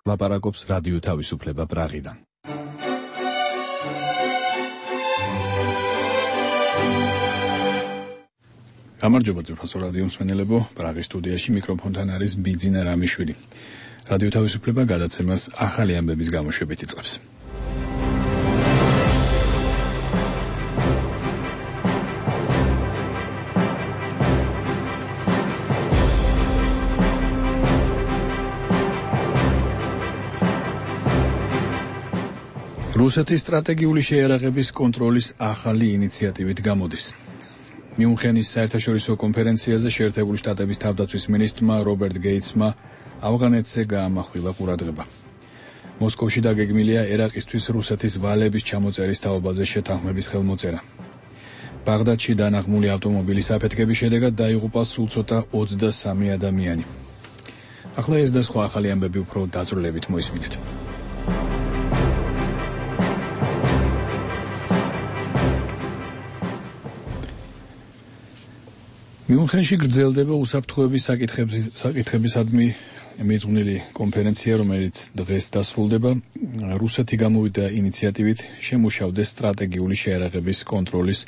ლაპარაკობს რადიო თავისუფლება პრაღიდან. გამარჯობა ძვირფასო რადიო მსმენელებო, პრაღის სტუდიაში მიკროფონთან არის ბიძინა რამიშვილი. რადიო თავისუფლება გადაცემას ახალი ამბების გამოშვებით იწყებს. რუსეთის სტრატეგიული შეიარაღების კონტროლის ახალი ინიციატივით გამოდის. მიუნხენის საერთაშორისო კონფერენციაზე შეერთებული შტატების თავდაცვის მინისტრმა რობერტ გეიტსმა ავღანეთზე გაამახვილა ყურადღება. მოსკოვში დაგეგმილია ერაყისთვის რუსეთის ვალების ჩამოწერის თაობაზე შეთანხმების ხელმოწერა. ბაღდადში დანაღმული ავტომობილის აფეთქების შედეგად დაიღუპა სულ ცოტა 23 ადამიანი. ახლა ეს და სხვა ახალი ამბები უფრო დაწვრილებით მოისმინეთ. მიუნხენში გრძელდება უსაფრთხოების საკითხებისადმი მიძღვნილი კონფერენცია, რომელიც დღეს დასრულდება. რუსეთი გამოვიდა ინიციატივით შემუშავდეს სტრატეგიული შეიარაღების კონტროლის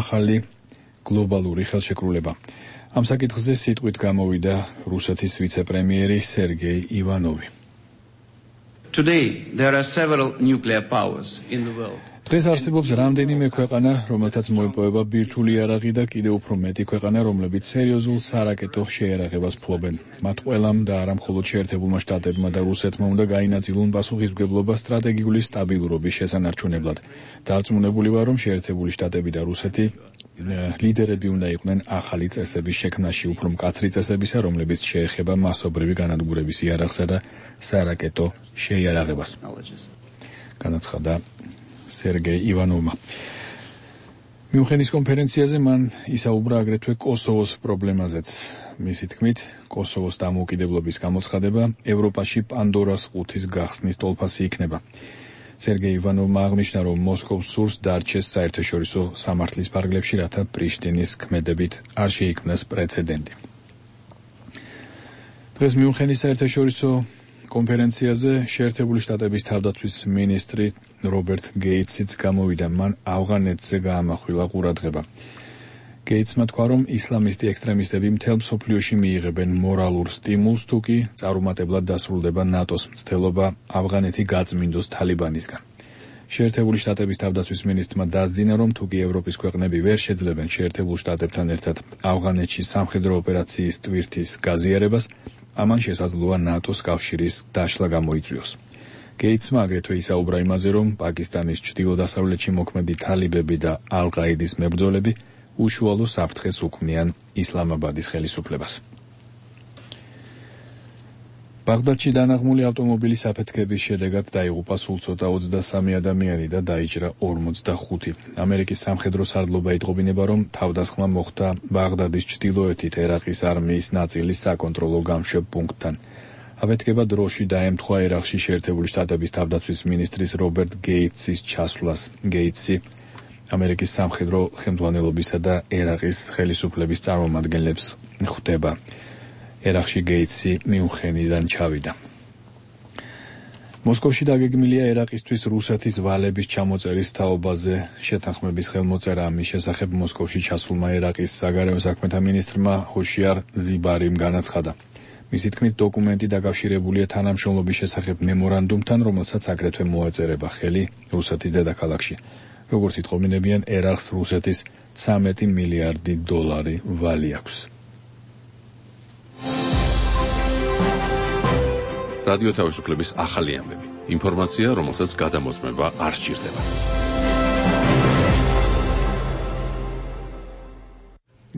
ახალი გლობალური ხელშეკრულება. ამ საკითხზე სიტყვით გამოვიდა რუსეთის ვიცე-პრემიერი სერგეი ივანოვი. Today there are several nuclear powers in the world. დღეს არსებობს რამდენიმე ქვეყანა, რომელთაც მოიპოვება ბირთვული იარაღი და კიდევ უფრო მეტი ქვეყანა, რომლებიც სერიოზულ სარაკეტო შეიარაღებას ფლობენ. მათ ყველამ და არა მხოლოდ შეერთებულმა შტატებმა და რუსეთმა უნდა გაინაწილონ პასუხისმგებლობა სტრატეგიული სტაბილურობის შესანარჩუნებლად. დარწმუნებული ვარ, რომ შეერთებული შტატები და რუსეთი ლიდერები უნდა იყვნენ ახალი წესების შექმნაში, უფრო მკაცრი წესებისა, რომლებიც შეეხება მასობრივი განადგურების იარაღსა და სარაკეტო შეიარაღებას. განაცხადა სერგეი ივანოვმა. მიუნხენის კონფერენციაზე მან ისაუბრა აგრეთვე კოსოვოს პრობლემაზეც. მისი თქმით, კოსოვოს დამოუკიდებლობის გამოცხადება ევროპაში პანდორას ყუთის გახსნის ტოლფასი იქნება. სერგეი ივანოვმა აღნიშნა, რომ მოსკოვს სურს დარჩეს საერთაშორისო სამართლის ფარგლებში, რათა პრიშტინის ქმედებით არ შეიქმნას პრეცედენტი. დღეს მიუნხენის საერთაშორისო კონფერენციაზე შეერთებული შტატების თავდაცვის მინისტრი რობერტ გეიტსიც გამოვიდა. მან ავღანეთზე გაამახვილა ყურადღება. გეიტსმა თქვა, რომ ისლამისტი ექსტრემისტები მთელ მსოფლიოში მიიღებენ მორალურ სტიმულს, თუ კი წარუმატებლად დასრულდება ნატოს მცდელობა ავღანეთი გაწმინდოს თალიბანისგან. შეერთებული შტატების თავდაცვის მინისტრმა დასძინა, რომ თუ კი ევროპის ქვეყნები ვერ შეძლებენ შეერთებულ შტატებთან ერთად ავღანეთში სამხედრო ოპერაციის ტვირთის გაზიარებას, ამან შესაძლოა ნატოს კავშირის დაშლა გამოიწვიოს. გეიტსმა აგრეთვე ისაუბრა იმაზე, რომ პაკისტანის ჩრდილო-დასავლეთში მოქმედი თალიბები და ალ-ყაიდის მებრძოლები უშუალო საფრთხეს უქმნიან ისლამაბადის ხელისუფლებას. ბაღდადში დანაღმული ავტომობილის აფეთქების შედეგად დაიღუპა სულ ცოტა 23 ადამიანი და დაიჭრა 45. ამერიკის სამხედრო სარდლობა იტყობინება, რომ თავდასხმა მოხდა ბაღდადის ჩრდილოეთით ერაყის არმიის ნაწილის საკონტროლო გამშვებ პუნქტთან. აფეთქება დროში დაემთხვა ერაყში შეერთებული შტატების თავდაცვის მინისტრის რობერტ გეიტსის ჩასვლას. გეიტსი ამერიკის სამხედრო ხელმძღვანელობისა და ერაყის ხელისუფლების წარმომადგენლებს ხვდება. ერაყში გეიტსი მიუნხენიდან ჩავიდა. მოსკოვში დაგეგმილია ერაყისთვის რუსეთის ვალების ჩამოწერის თაობაზე შეთანხმების ხელმოწერა. ამის შესახებ მოსკოვში ჩასულმა ერაყის საგარეო საქმეთა მინისტრმა ჰოშიარ ზიბარიმ განაცხადა. მისი თქმით, დოკუმენტი დაკავშირებულია თანამშრომლობის შესახებ მემორანდუმთან, რომელსაც აგრეთვე მოეწერება ხელი რუსეთის დედაქალაქში. როგორც იტყობინებიან, ერაყს რუსეთის 13 მილიარდი დოლარი ვალი აქვს. რადიო თავისუფლების ახალი ამბები. ინფორმაცია, რომელსაც გადამოწმება არ სჭირდება.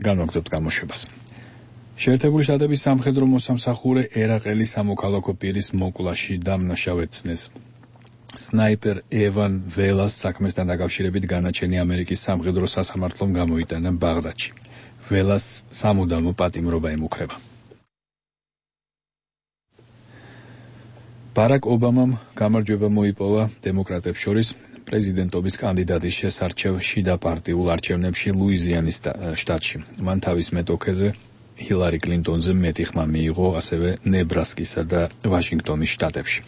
განვაგრძობთ გამოშვებას. შეერთებული შტატების სამხედრო მოსამსახურე ერაყელი სამოქალაქო პირის მოკვლაში დამნაშავეცნეს. სნაიპერ ევან ველას საქმესთან დაკავშირებით განაჩენი ამერიკის სამხედრო სასამართლომ გამოიტანა ბაღდადში. ველას სამუდამო პატიმრობა ემუქრება. ბარაკ ობამამ გამარჯვება მოიპოვა დემოკრატებს შორის პრეზიდენტობის კანდიდატის შესარჩევ შიდა პარტიულ არჩევნებში ლუიზიანის შტატში. მან თავის მეტოქეზე ჰილარი კლინტონზე მეტი ხმა მიიღო ასევე ნებრასკისა და ვაშინგტონის შტატებში.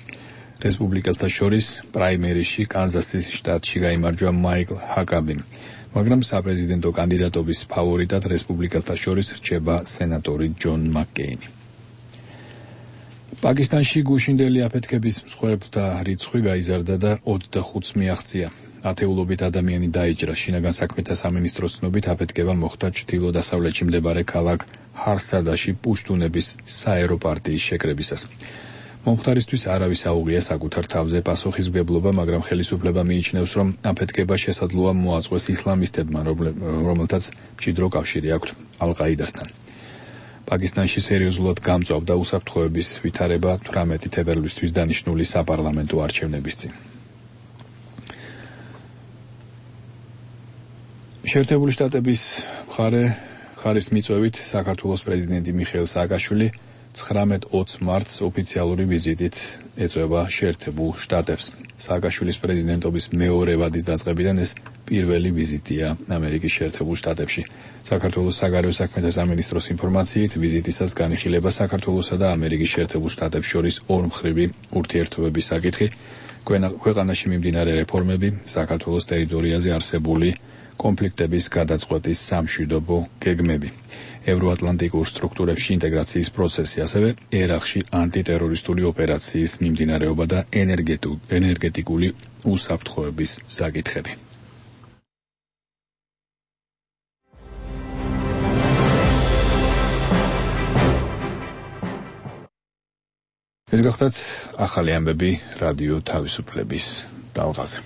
რესპუბლიკელთა შორის პრაიმერიში კანზასის შტატში გაიმარჯვა მაიკლ ჰაკაბიმ, მაგრამ საპრეზიდენტო კანდიდატობის ფავორიტად რესპუბლიკელთა შორის რჩება სენატორი ჯონ მაკკეინი. პაკისტანში გუშინდელი აფეთქების მსხვერპლთა რიცხვი გაიზარდა და 25-ს მიაღწია. ათეულობით ადამიანი დაიჭრა. შინაგან საქმეთა სამინისტროს ცნობით აფეთქება მოხდა ჩრდილო-დასავლეთში მდებარე ქალაქ ჰარსადაში პუშტუნების საერო პარტიის შეკრებისას. მომხდარისთვის არავის აუღია საკუთარ თავზე პასუხისმგებლობა, მაგრამ ხელისუფლება მიიჩნევს, რომ აფეთქება შესაძლოა მოაწყვეს ისლამისტებმა, რომელთაც მჭიდრო კავშირი აქვთ ალ-ყაიდასთან. პაკისტანში სერიოზულად გამწვავდა უსაფრთხოების ვითარება 18 თებერვლისთვის დანიშნული საპარლამენტო არჩევნების წინ. შეერთებული შტატების მხარის მიწვევით საქართველოს პრეზიდენტი მიხეილ სააკაშვილი 19-20 მარტს ოფიციალური ვიზიტით ეწევა შეერთებულ შტატებს. სააკაშვილის პრეზიდენტობის მეორე ვადის დაწყებიდან ეს პირველი ვიზიტია ამერიკის შეერთებულ შტატებში. საქართველოს საგარეო საქმეთა სამინისტროს ინფორმაციით, ვიზიტისას განიხილება საქართველოსა და ამერიკის შეერთებულ შტატებს შორის ორმხრივი ურთიერთობების საკითხი, ქვეყანაში მიმდინარე რეფორმები, საქართველოს ტერიტორიაზე არსებული კონფლიქტების გადაწყვეტის სამშვიდობო გეგმები, ევროატლანტიკურ სტრუქტურებში ინტეგრაციის პროცესი, ასევე ერაყში ანტიტერორისტული ოპერაციის მიმდინარეობა და ენერგეტიკული უსაფრთხოების საკითხები. ეს გახლავთ ახალი ამბები რადიო თავისუფლების ტალღაზე.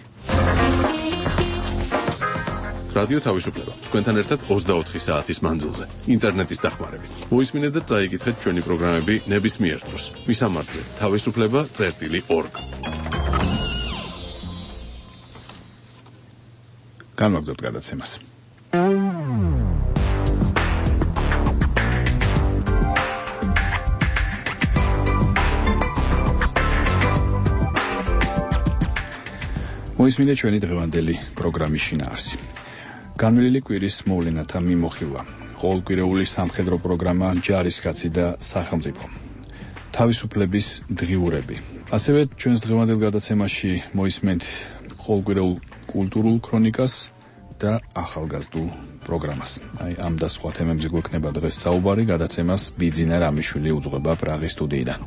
რადიო თავისუფლება თქვენთან ერთად 24 საათის მანძილზე ინტერნეტის დახმარებით. მოისმინეთ და წაიკითხეთ ჩვენი პროგრამები ნებისმიერ დროს. მისამართზე თავისუფლება.org. განვაგრძობთ გადაცემას. მოისმინეთ ჩვენი დღევანდელი პროგრამის შინაარსი. განვლილი კვირის მოვლენათა მიმოხილვა, ყოველკვირეული სამხედრო პროგრამა ჯარისკაცი და სახელმწიფო, თავისუფლების დღიურები. ასევე ჩვენს დღევანდელ გადაცემაში მოისმენთ ყოველკვირეულ კულტურულ ქრონიკას და ახალგაზრდულ პროგრამას. ამ და სხვა თემებზე გვექნება დღეს საუბარი, გადაცემას ბიძინა რამიშვილი უძღვება პრაღის სტუდიიდან.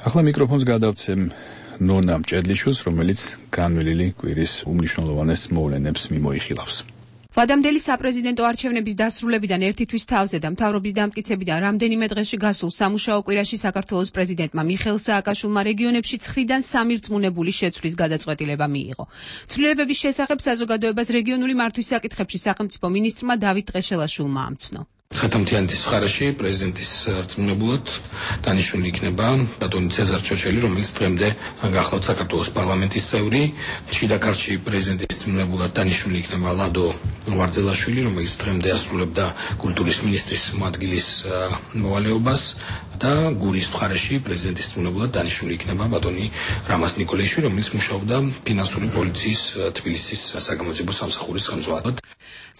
ახლა მიკროფონს გადავცემ ნონა მჭედლიშვილს, რომელიც განვლილი კვირის უმნიშვნელოვანეს მოვლენებს მიმოიხილავს. ვადამდელი საპრეზიდენტო არჩევნების დასრულებიდან ერთი თვის თავზე და მთავრობის დამტკიცებიდან რამდენიმე დღეში გასულ სამუშაო კვირაში საქართველოს პრეზიდენტმა მიხეილ სააკაშვილმა რეგიონებში 9-დან 3 რწმუნებული შეცვლის გადაწყვეტილება მიიღო. ცვლილებების შესახებ საზოგადოებას რეგიონული მართვის საკითხებში სახელმწიფო მინისტრმა დავით ტყეშელაშვილმა ამცნო. სათამთიანეთის ხარაში პრეზიდენტის რწმუნებულად დანიშნული იქნება ბატონი ცეზარ ჩოჩელი, რომელიც დღემდე გახლავთ საქართველოს პარლამენტის წევრი. შიდა ქართლში პრეზიდენტის რწმუნებულად დანიშნული იქნება ლადო ვარძელაშვილი, რომელიც დღემდე ასრულებდა კულტურის მინისტრის მოადგილის მოვალეობას და გურის მხარეში პრეზიდენტის რწმუნებულად დანიშნული იქნება ბატონი რამაზ ნიკოლაიშვილი, რომელიც მუშაობდა ფინანსური პოლიციის თბილისის საგამოძიებო სამსახურის ხელმძღვანელად.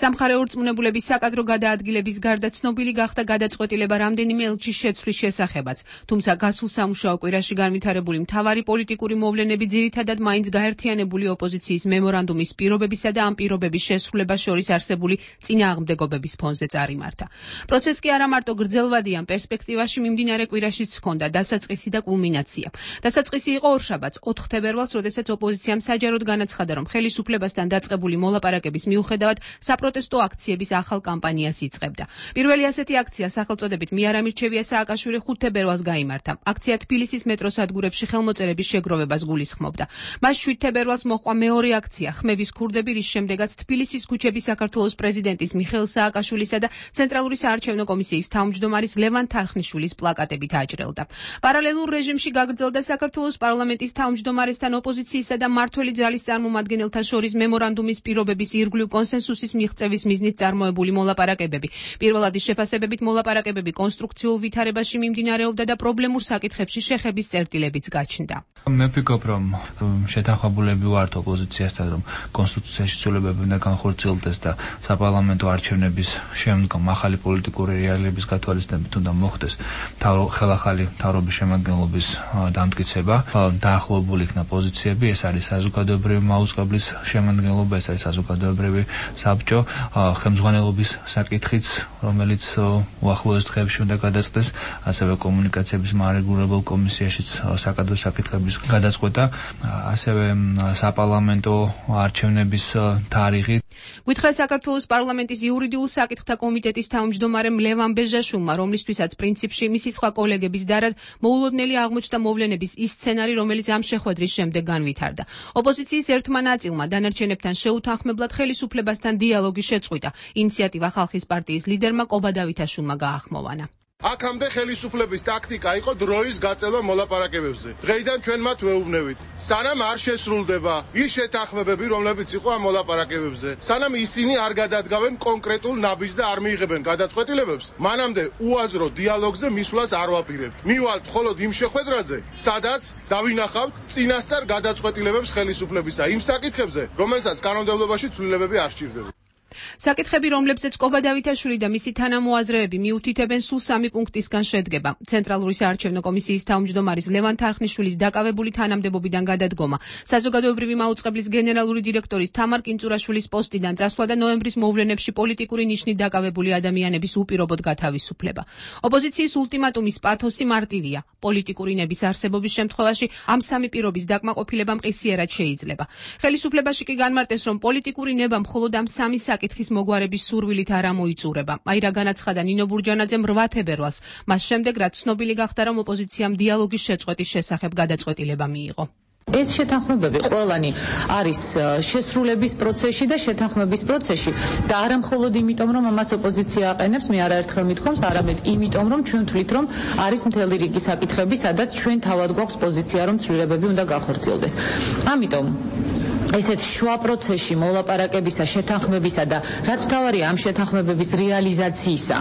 სამხარეო რწმუნებულების საკადრო გადაადგილების გარდა ცნობილი გახდა გადაწყვეტილება რამდენიმე ელჩის შეცვლის შესახებაც, თუმცა გასულ სამუშაო კვირაში განვითარებული მთავარი პოლიტიკური მოვლენები ძირითადად მაინც გაერთიანებული ოპოზიციის მემორანდუმის პირობებისა და ამ პირობების შესრულებას შორის არსებული წინააღმდეგობების ფონზე წარიმართა. პროცესი კი არა მარტო გრძელვადიან პერსპექტივაში მიმდინარე კვირაშიც ჰქონდა დასაწყისი და კულმინაცია. დასაწყისი იყო ორშაბათს 4 თებერვალს, როდესაც ოპოზიციამ საჯაროდ განაცხადა, რომ ხელისუფლებასთან დაწყებული მოლაპარაკების მიუხედავად საპროტესტო აქციების ახალ კამპანიას იწყებდა. პირველი ასეთი აქცია სახელწოდებით „მე არ ამირჩევია სააკაშვილი“ 5 თებერვალს გაიმართა. აქცია თბილისის მეტროს სადგურებში ხელმოწერების შეგროვებას გულისხმობდა. მას 7 თებერვალს მოჰყვა მეორე აქცია „ხმების ქურდები“, რის შემდეგაც თბილისის ქუჩები საქართველოს პრეზიდენტის მიხეილ სააკაშვილისა და ცენტრალური საარჩევნო კომისიის თავმჯდომარის ლევან თარხნიშვილის პლაკატ plakatებით აჭრელდა. Პარალელურ რეჟიმში გაგრძელდა საქართველოს პარლამენტის თავმჯდომარესთან ოპოზიციისა და მმართველი ძალის წარმომადგენელთა შორის მემორანდუმის პირობების ირგვლივ კონსენსუსის მიღწევის მიზნით წარმოებული მოლაპარაკებები. პირველადი შეფასებებით მოლაპარაკებები კონსტრუქციულ ვითარებაში მიმდინარეობდა და პრობლემურ საკითხებში შეხების წერტილებიც გაჩნდა. მე ვფიქრობ, რომ შეთანხმებულები ვართ ოპოზიციასთან, რომ კონსტიტუციაში ცვლილებები უნდა განხორციელდეს და საპარლამენტო არჩევნების შემდგომ ახალი პოლიტიკური რეალიების გათვალისწინებით უნდა მოხდეს ხელახალი მთავრობის შემადგენლობის დამტკიცება, დაახლოებული იქნა პოზიციები, ეს არის საზოგადოებრივი მაუწყებლის შემადგენლობა, ეს არის საზოგადოებრივი საბჭო, ხელმძღვანელობის საკითხიც, რომელიც უახლოეს დღეებში უნდა გადაწყდეს, ასევე კომუნიკაციების მარეგულირებელ კომისიაშიც საკადრო საკითხების გადაწყვეტა, ასევე საპარლამენტო არჩევნების თარიღი. გითხრა საქართველოს პარლამენტის იურიდიულ საკითხთა კომიტეტის თავმჯდომარემ ლევან ბეჟაშვილმა, რომლისთვისაც პრინციპში მისი სხვა კოლეგების დარად მოულოდნელი აღმოჩნდა მოვლენების ის სცენარი, რომელიც ამ შეხვედრის შემდეგ განვითარდა. ოპოზიციის ერთმა ნაწილმა დანარჩენებთან შეუთანხმებლად ხელისუფლებასთან დიალოგი შეწყვიტა. ინიციატივა ხალხის პარტიის ლიდერმა კობა დავითაშვილმა გაახმოვანა. აქამდე ხელისუფლების ტაქტიკა იყო დროის გაწევა მოლაპარაკებებზე. დღეიდან ჩვენ მათ ვეუბნებით. სანამ არ შესრულდება ის შეთანხმებები, რომლებიც იყო ამ მოლაპარაკებებზე, სანამ ისინი არ გადადგავენ კონკრეტულ ნაბიჯს და არ მიიღებენ გადაწყვეტილებებს, მანამდე უაზრო დიალოგზე მისვლას არ ვაპირებთ. მივალთ მხოლოდ იმ შეხვედრაზე, სადაც დავინახავთ წინასწარ გადაწყვეტილებებს ხელისუფლებისა იმ საკითხებზე, რომელსაც კანონმდებლობაში ცვლილებები არ სჭირდება. საკითხები, რომლებზეც კობა დავითაშვილი და მისი თანამოაზრეები მიუთითებენ, სულ 3 პუნქტისგან შედგება. ცენტრალური საარჩევნო კომისიის თავმჯდომარის ლევან თარხნიშვილის დაკავებული თანამდებობიდან გადადგომა, საზოგადოებრივი მაუწყებლის გენერალური დირექტორის თამარ კინწურაშვილის პოსტიდან წასვლა და ნოემბრის მოვლენებში პოლიტიკური ნიშნით დაკავებული ადამიანების უპირობოდ გათავისუფლება. ოპოზიციის ულტიმატუმის პათოსი მარტივია. პოლიტიკური ნების არსებობის შემთხვევაში ამ 3 პირობის დაკმაყოფილება მყისიერად შეიძლება. ხელისუფლებაში კი განმარტეს, რომ პოლიტიკური ნება მხოლოდ ამ 3 საკითხის მოგვარების სურვილით არ ამოიწურება. აი რა განაცხადა ნინო ბურჯანაძემ 8 თებერვალს, მას შემდეგ რაც ცნობილი გახდა, რომ ოპოზიციამ დიალოგის შეწყვეტის შესახებ გადაწყვეტილება მიიღო. ეს შეთანხმებები ყველანი არის შესრულების პროცესში და შეთანხმების პროცესში და არა მხოლოდ იმიტომ, რომ ამას ოპოზიცია აყენებს, მე არაერთხელ მithქვამს, არამედ იმიტომ, რომ ჩვენ თვლით, რომ არის მთელი რიგი საკითხები, სადაც ჩვენ თავად გვაქვს პოზიცია, რომ ცვლილებები უნდა განხორციელდეს. ამიტომ ესეთ შუა პროცესში მოლაპარაკებისა, შეთანხმებისა და რაც მთავარია ამ შეთანხმებების რეალიზაციისა,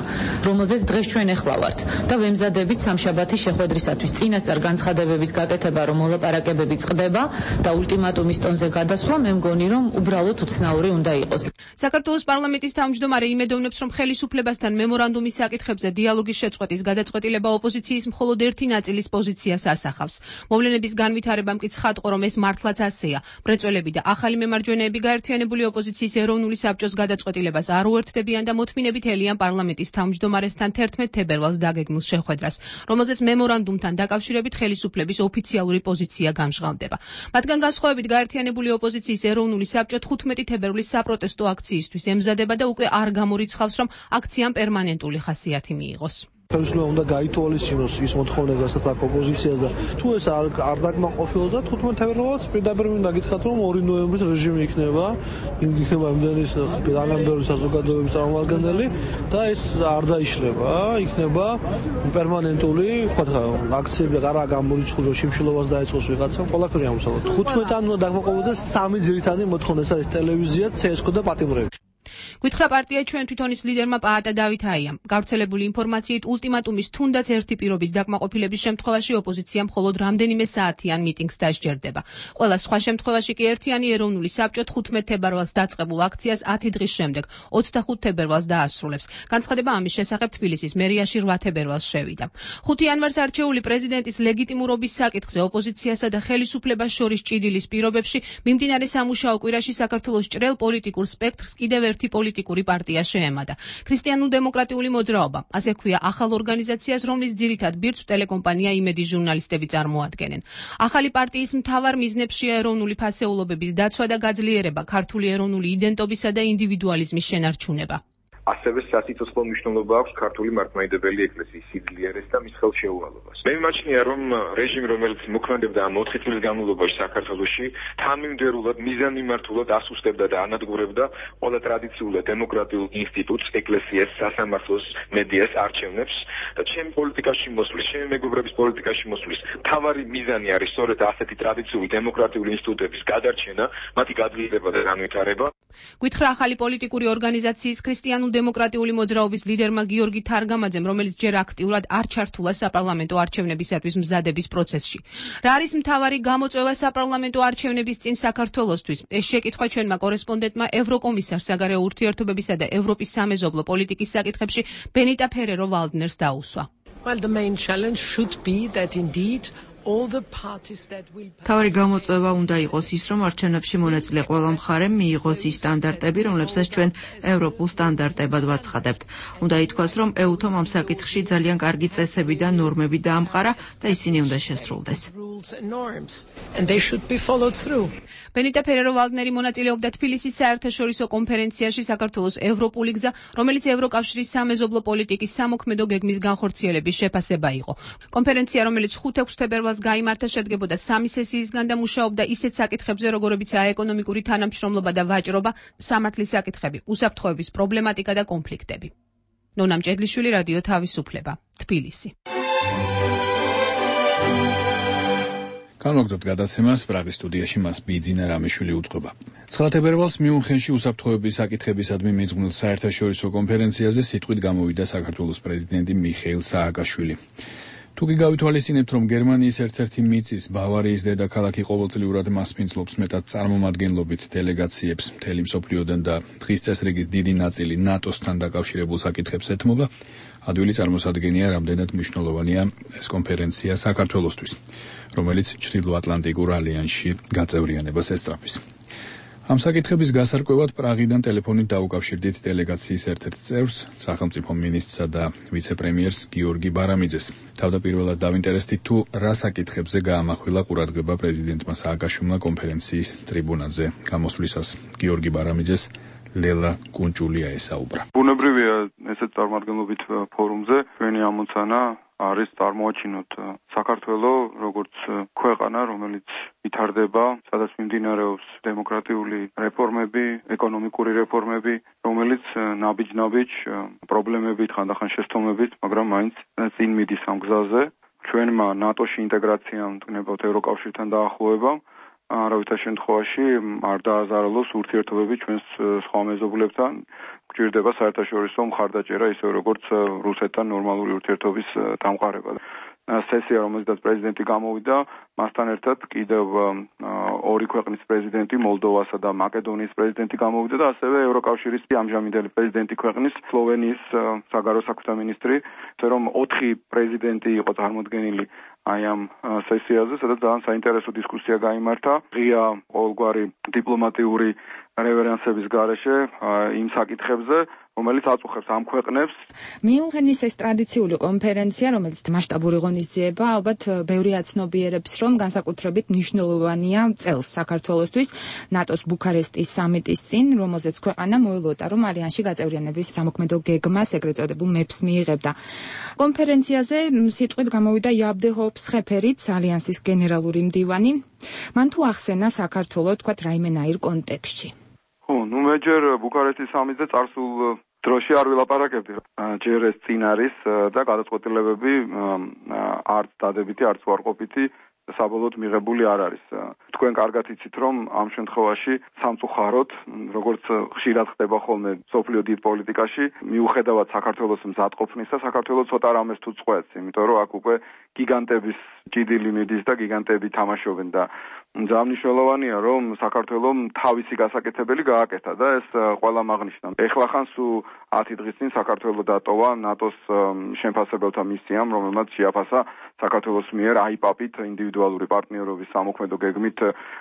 რომელზეც დღეს ჩვენ ახლა ვართ და ვემზადებით სამშაბათის შეხვედრისათვის წინასწარ განცხადებების გაკეთება, რომ მოლაპარაკებები წყდება და ულტიმატუმის ტონზე გადასვლა, მე მგონი, რომ უბრალოდ უცნაური უნდა იყოს. საქართველოს პარლამენტის თავმჯდომარე იმედოვნებს, რომ ხელისუფლებასთან მემორანდუმის საკითხებზე დიალოგის შეწყვეტის გადაწყვეტილება ოპოზიციის მხოლოდ ერთი ნაწილის პოზიციას ასახავს. მოვლენების განვითარებამ კი ცხადყო, რომ ეს მართლაც ასეა. მრეწველები და ახალი მემარჯვენეები გაერთიანებული ოპოზიციის ეროვნული საბჭოს გადაწყვეტილებას არ უერთდებიან და მოთმინებით ელიან პარლამენტის თავმჯდომარესთან 11 თებერვალს დაგეგმილ შეხვედრას, რომელზეც მემორანდუმთან დაკავშირებით ხელისუფლების ოფიციალური პოზიცია გამჟღავნდება. მათგან განსხვავებით გაერთიანებული ოპოზიციის ეროვნული საბჭო 15 თებერვლის საპროტესტო აქციისთვის ემზადება და უკვე არ გამორიცხავს, რომ აქციამ პერმანენტული ხასიათი მიიღოს. ხელისუფლება უნდა გაითვალისწინოს ის მოთხოვნები, რასაც აქვს ოპოზიციას და თუ ეს არ დაკმაყოფილდა 15 თებერვალს პირდაპირ მინდა გითხრათ, რომ 2 ნოემბრის რეჟიმი იქნება იმდენი თანამდებობის საზოგადოების წარმომადგენელი და ეს არ დაიშლება, იქნება პერმანენტული, ვთქვათ, აქციები არა გამორიცხული, შიმშილობას დაეწყოს ვიღაცამ, ყველაფერი ამოსავალ. 15-ან უნდა დაკმაყოფილდეს 3 ძირითადი მოთხოვნა, ეს არის ტელევიზია, CSKO და პატიმრები. გითხრა პარტია ჩვენ თვითონის ლიდერმა პაატა დავითაიამ. გავრცელებული ინფორმაციით ულტიმატუმის თუნდაც ერთი პირობის დაკმაყოფილების შემთხვევაში ოპოზიცია მხოლოდ რამდენიმე საათიან მიტინგს დასჯერდება. ყველა სხვა შემთხვევაში კი ერთიანი ეროვნული საბჭო 15 თებერვალს დაწყებულ აქციას 10 დღის შემდეგ 25 თებერვალს დაასრულებს. განცხადება ამის შესახებ თბილისის მერიაში 8 თებერვალს შევიდა. 5 იანვარს არჩეული პრეზიდენტის ლეგიტიმურობის საკითხზე ოპოზიციასა და ხელისუფლებას შორის ჭიდილის პირობებში მიმდინარე სამუშაო კვირაში საქართველოს ჭრელ პოლიტიკურ სპექტრს კიდევ ერთი პოლიტიკური პარტია შეემატა. ქრისტიანულ-დემოკრატიული მოძრაობა, ასე ქვია ახალ ორგანიზაციას, რომლის ძირითად ბირთვს ტელეკომპანია იმედის ჟურნალისტები წარმოადგენენ. ახალი პარტიის მთავარ მიზნებშია ეროვნული ფასეულობების დაცვა და გაძლიერება, ქართული ეროვნული იდენტობისა და ინდივიდუალიზმის შენარჩუნება. ასევე სასიცოცხლო მნიშვნელობა აქვს ქართული მართლმადიდებელი ეკლესიის სიძლიერეს და მის ხელშეუალობას. მე მიმაჩნია, რომ რეჟიმი, რომელიც მოქმედებდა ამ 4 წლის განმავლობაში საქართველოში, თანმიმდევრულად, მიზანმიმართულად ასუსტებდა და ანადგურებდა ყველა ტრადიციულ და დემოკრატიულ ინსტიტუტს, ეკლესიას, სასამართლოს, მედიას, არჩევნებს და ჩემი პოლიტიკაში მოსვლის, ჩემი მეგობრების პოლიტიკაში მოსვლის მთავარი მიზანი არის სწორედ ასეთი ტრადიციული დემოკრატიული ინსტიტუტების გადარჩენა, მათი გაძლიერება და განვითარება. გითხრა ახალი პოლიტიკური ორგანიზაციის ქრისტიანულ-დემოკრატიული მოძრაობის ლიდერმა გიორგი თარგამაძემ, რომელიც ჯერ აქტიურად არ ჩართულა საპარლამენტო არჩევნებისათვის მზადების პროცესში. რა არის მთავარი გამოწვევა საპარლამენტო არჩევნების წინ საქართველოსთვის? ეს შეკითხვა ჩვენმა კორესპონდენტმა ევროკომისარ საგარეო ურთიერთობებისა და ევროპის სამეზობლო პოლიტიკის საკითხებში ბენიტა ფერერო ვალდნერს დაუსვა. Well, the main challenge should be that indeed თავარი გამოწვევა უნდა იყოს ის, რომ არჩევნებში მონაწილე ყველა მხარემ მიიღოს ის სტანდარტები, რომლებსაც ჩვენ ევროპულ სტანდარტებად ვაცხადებთ. უნდა ითქვას, რომ EUTOM ამ საკითხში ძალიან კარგი წესები და ნორმები დაამყარა და ისინი უნდა შესრულდეს. ბენიტა ფერერო ვალდნერი მონაწილეობდა თბილისის საერთაშორისო კონფერენციაში საქართველოს ევროპული გზა, რომელიც ევროკავშირის სამეზობლო პოლიტიკის სამოქმედო გეგმის განხორციელების შეფასება იყო. კონფერენცია, რომელიც 5-6 თებერვალს გაიმართა, შედგებოდა 3 სესიისგან და მუშაობდა ისეთ საკითხებზე, როგორებიცაა ეკონომიკური თანამშრომლობა და ვაჭრობა, სამართლის საკითხები, უსაფრთხოების პრობლემატიკა და კონფლიქტები. ნონა მჭედლიშვილი, რადიო თავისუფლება, თბილისი. განვაგრძობთ გადაცემას, პრაღის სტუდიაში მას ბიძინა რამიშვილი უწყობა. 9 თებერვალს მიუნხენში უსაფრთხოების საკითხებისადმი მიძღვნილ საერთაშორისო კონფერენციაზე სიტყვით გამოვიდა საქართველოს პრეზიდენტი მიხეილ სააკაშვილი. თუ კი გავითვალისწინებთ, რომ გერმანიის ერთ-ერთი მიწის ბავარიის დედაქალაქი ყოველწლიურად მასპინძლობს მეტად წარმომადგენლობით დელეგაციებს მთელი მსოფლიოდან და დღის წესრიგის დიდი ნაწილი ნატოსთან დაკავშირებულ საკითხებს ეთმობა, ადვილი წარმოსადგენია, რამდენად მნიშვნელოვანია ეს კონფერენცია საქართველოსთვის, რომელიც ჩრდილოატლანტიკურ ალიანსში გაწევრიანებას ესწრაფვის. ამ საკითხების გასარკვევად პრაღიდან ტელეფონით დაუკავშირდით დელეგაციის ერთ-ერთ წევრს, სახელმწიფო მინისტრსა და ვიცე-პრემიერს გიორგი ბარამიძეს. თავდაპირველად დავინტერესდით, თუ რა საკითხებზე გაამახვილა ყურადღება პრეზიდენტმა სააკაშვილმა კონფერენციის ტრიბუნაზე გამოსვლისას. გიორგი ბარამიძეს ლელა კუნჭულია ესაუბრა. ბუნებრივია ესეთ წარმომადგენლობით ფორუმზე ჩვენი ამოცანა არის წარმოაჩინოთ საქართველოს როგორც ქვეყანა, რომელიც ვითარდება, სადაც მიმდინარეობს დემოკრატიული რეფორმები, ეკონომიკური რეფორმები, რომელიც ნაბიჯ-ნაბიჯ პრობლემებით, ხანდახან შესთომებით, მაგრამ მაინც წინ მიდის ამ გზაზე. ჩვენმა ნატოში ინტეგრაციამ, თუნებოდ ევროკავშირთან დაახლოებამ, არავითარ შემთხვევაში არ დააზარალოს ურთიერთობები ჩვენს სხვა მეზობლებთან. გვჭირდება საერთაშორისო მხარდაჭერა, ისე როგორც რუსეთთან ნორმალური ურთიერთობის დამყარება. სესია, რომელზეც პრეზიდენტი გამოვიდა, მასთან ერთად კიდევ 2 ქვეყნის პრეზიდენტი, მოლდოვასა და მაკედონიის პრეზიდენტი გამოვიდა და ასევე ევროკავშირის ამჟამინდელი პრეზიდენტი ქვეყნის, სლოვენიის საგარეო საქმეთა მინისტრი, ასე რომ 4 პრეზიდენტი იყო წარმოდგენილი აი ამ სესიაზე, სადაც ძალიან საინტერესო დისკუსია გაიმართა. ღია ყოველგვარი დიპლომატიური რევერენსების გარეშე იმ საკითხებზე, რომელიც აწუხებს ამ ქვეყნებს. მიუნხენის ეს ტრადიციული კონფერენცია, რომელიც მასშტაბური ღონისძიება, ალბათ ბევრი აცნობიერებს, რომ განსაკუთრებით მნიშვნელოვანია წელს საქართველოსთვის ნატოს ბუქარესტის სამიტის წინ, რომელზეც ქვეყანა მოელოდა, რომ ალიანსში გაწევრიანების სამოქმედო გეგმას, ეგრეთ წოდებულ მეფს მიიღებდა. კონფერენციაზე სიტყვით გამოვიდა იაბდე ჰოფსხეფერიც, ალიანსის გენერალური მდივანი. მან თუ ახსენა საქართველოს, თქვათ, რაიმენაირ კონტექსტში. მე ჯერ ბუქარესტის სამიტზე წარსულ დროში არ ვილაპარაკებდი. ჯერ ეს წინ არის და გადაწყვეტილებები არც დადებითი, არც უარყოფითი საბოლოოდ მიღებული არ არის. თქვენ კარგად იცით, რომ ამ შემთხვევაში სამწუხაროდ, როგორც ხშირად ხდება ხოლმე სოფლიო დიდ პოლიტიკაში, მიუხედავად საქართველოს მზადყოფნისა, საქართველოს ცოტა რამეს თუ წყვეტს, იმიტომ რომ აქ უკვე გიგანტების ჭიდილი მიდის და გიგანტები თამაშობენ და ძალიან მნიშვნელოვანია, რომ საქართველოს თავისი გასაკეთებელი გააკეთა და ეს ყველა მაგნიშნა. ეხლა ხან სულ 10 დღის წინ საქართველოს დატოვა ნატოს შემფასებელთა მისიამ, რომელმაც შეაფასა საქართველოს მიერ აიპაპით ინდივიდუალური პარტნიორობის სამოქმედო გეგმით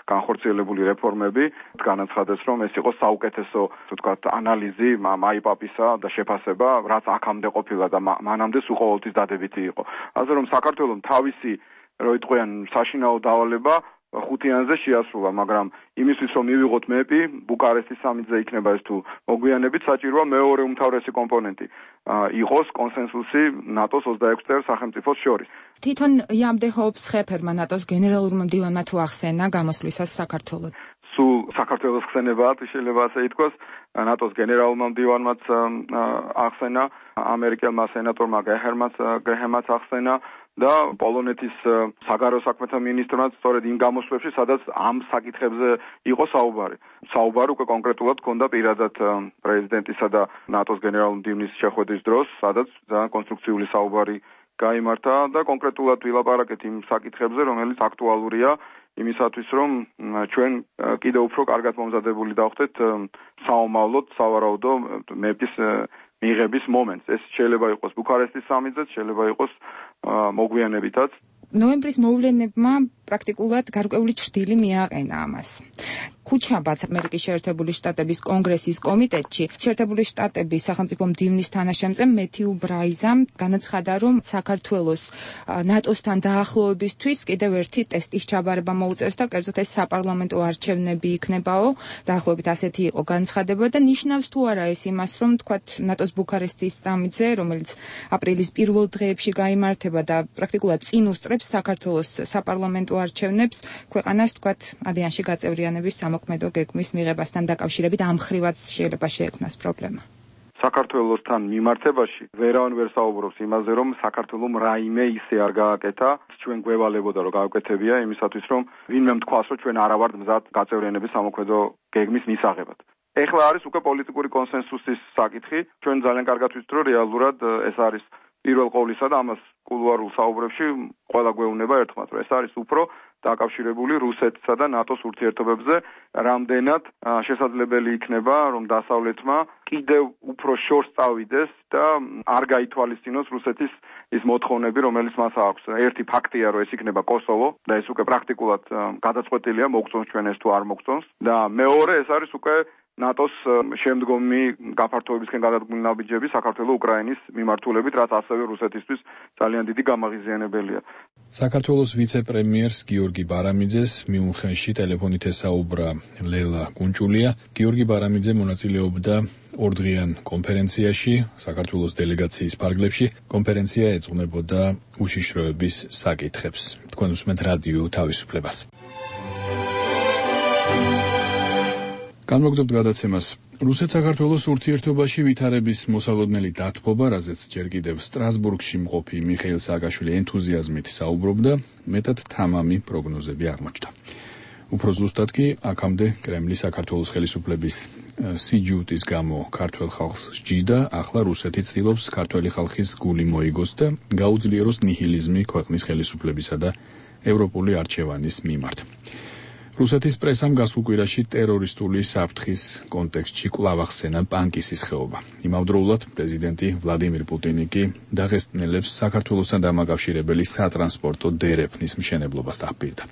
განხორციელებული რეფორმები. განაცხადეს, რომ ეს იყო საუკეთესო, თქვათ, ანალიზი აიპაპისა და შეფასება, რაც აქამდე ყოფილა და მანამდე სულ ყოველთვის დადებითი იყო. ასე რომ საქართველოს თავისი რო იტყვიან საშინაო დავალება 5-იანზე შეასრულა, მაგრამ იმისთვის რომ მივიღოთ მეპი, ბუკარესტის სამიტზე იქნება ეს თუ მოგვიანებით საჭიროა მეორე უმთავრესი კომპონენტი იყოს კონსენსუსი ნატოს 26 სახელმწიფოს შორის. თვითონ იამდეჰობს ხეფერმა ნატოს გენერალურმა მდივანმა თუ ახსენა გამოსვლისას საქართველოს. სულ საქართველოს ხსენებაა, შეიძლება ასე ითქვას, ნატოს გენერალურმა მდივანმაც ახსენა, ამერიკელმა სენატორმა გეჰემაც ახსენა და პოლონეთის საგარეო საქმეთა მინისტრმაც სწორედ იმ გამოსვლებში, სადაც ამ საკითხებზე იყო საუბარი. საუბარი უკვე კონკრეტულად ჰქონდა პირადად პრეზიდენტისა და ნატოს გენერალური მდივნის შეხვედრის დროს, სადაც ძალიან კონსტრუქციული საუბარი გაიმართა და კონკრეტულად ვილაპარაკეთ იმ საკითხებზე, რომელიც აქტუალურია იმისათვის, რომ ჩვენ კიდევ უფრო კარგად მომზადებული დავხდეთ საომავლოდ, სავარაუდო მეპის მიღების მომენტს. ეს შეიძლება იყოს ბუქარესტის სამიტზეც, შეიძლება იყოს მოგვიანებითაც. ნოემბრის მოვლენებმა პრაქტიკულად გარკვეული ჩრდილი მიაყენა ამას. ქუჩაბაც ამერიკის შეერთებული შტატების კონგრესის კომიტეტში შეერთებული შტატების სახელმწიფო მდივნის თანაშემწე მეთიუ ბრაიზამ განაცხადა, რომ საქართველოს ნატოსთან დაახლოებისთვის კიდევ ერთი ტესტის ჩაბარება მოუწევს და კერძოდ ეს საპარლამენტო არჩევნები იქნებაო. დაახლოებით ასეთი იყო განცხადება და ნიშნავს თუ არა ეს იმას, რომ თქვათ ნატოს ბუქარესტის სამიტზე, რომელიც აპრილის პირველ დღეებში გაიმართება და პრაქტიკულად წინ უსწრებს საქართველოს საპარლამენტო არჩევნებს, ქვეყანას თქვათ ალიანსში გაწევრიანების მოქმედო გეგმის მიღებასთან დაკავშირებით ამ ხრივაც შეიძლება შეექმნას პრობლემა. საქართველოსთან მიმართებაში ვერავინ ვერ საუბრობს იმაზე, რომ საქართველომ რაიმე ისე არ გააკეთა, ჩვენ გვევალებოდა რომ გააკეთებია იმისათვის, რომ ვინმე თქვას, რომ ჩვენ არა ვართ მზად გაწევრიანების სამოქმედო გეგმის მისაღებად. ეხლა არის უკვე პოლიტიკური კონსენსუსის საკითხი, ჩვენ ძალიან კარგად ვიცით, რომ რეალურად ეს არის პირველ ყოვლისა და ამას კულუარულ საუბრებში ყველა გვეუბნება ერთხმად, რომ ეს არის უფრო დაკავშირებული რუსეთსა და ნატოს ურთიერთობებზე, რამდენად შესაძლებელი იქნება, რომ დასავლეთმა კიდევ უფრო შორს წავიდეს და არ გაითვალისწინოს რუსეთის ის მოთხოვნები, რომელიც მას აქვს. ერთი ფაქტია, რომ ეს იქნება კოსოვო და ეს უკვე პრაქტიკულად გადაწყვეტილია, მოგწონს ჩვენ ეს თუ არ მოგწონს და მეორე ეს არის უკვე ნატოს შემდგომი გაფართოებისკენ გადადგმული ნაბიჯები საქართველოს უკრაინის მიმართულებით, რაც ასევე რუსეთისთვის ძალიან დიდი გამაღიზიანებელია. საქართველოს ვიცე-პრემიერს გიორგი ბარამიძეს მიუნხენში ტელეფონით ესაუბრა ლელა კუნჭულია. გიორგი ბარამიძე მონაწილეობდა ორდღიან კონფერენციაში საქართველოს დელეგაციის ფარგლებში. კონფერენცია ეძღვნებოდა უშიშროების საკითხებს. თქვენ უსმენთ რადიო თავისუფლებას. განმოგრძობთ გადაცემას. რუსეთ-საქართველოს ურთიერთობაში ვითარების მოსალოდნელი დათბობა, რაზეც ჯერ კიდევ სტრასბურგში მყოფი მიხეილ სააკაშვილი ენთუზიაზმით საუბრობდა, მეტად თამამი პროგნოზები აღმოჩნდა. უფრო ზუსტად კი, აქამდე კრემლი საქართველოს ხელისუფლების სიჯუტის გამო ქართველ ხალხს სჯიდა, ახლა რუსეთი ცდილობს ქართველი ხალხის გული მოიგოს და გაუძლიეროს ნიჰილიზმი ქვეყნის ხელისუფლებისა და ევროპული არჩევანის მიმართ. რუსეთის პრესამ გასულ კვირაში ტერორისტული საფრთხის კონტექსტში კვლავ ახსენა პანკისის ხეობა. იმავდროულად პრეზიდენტი ვლადიმირ პუტინი კი დაღესტნელებს საქართველოსთან დამაკავშირებელი სატრანსპორტო დერეფნის მშენებლობას დაპირდა.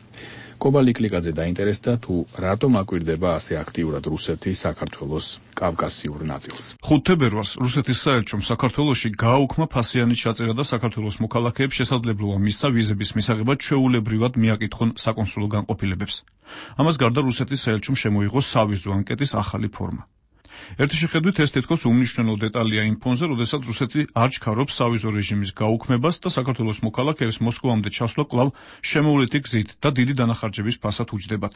კობა ლიკლიკაძე დაინტერესდა თუ რატომ აკვირდება ასე აქტიურად რუსეთი საქართველოს კავკასიურ ნაწილს. 5 თებერვალს რუსეთის საელჩომ საქართველოში გააუქმა ფასიანის ჩაწერა და საქართველოს მოქალაქეებს შესაძლებლობა მისცა ვიზების მისაღებად ჩვეულებრივად მიაკითხონ საკონსულო განყოფილებებს. ამას გარდა რუსეთის საელჩომ შემოიღო სავიზო ანკეტის ახალი ფორმა. ერთი შეხედვით ეს თითქოს უმნიშვნელო დეტალია იმ ფონზე, როდესაც რუსეთი არ ჩქარობს სავიზო რეჟიმის გაუქმებას და საქართველოს მოქალაქეებს მოსკოვამდე ჩასვლა კვლავ შემოვლითი გზით და დიდი დანახარჯების ფასად უჯდებათ.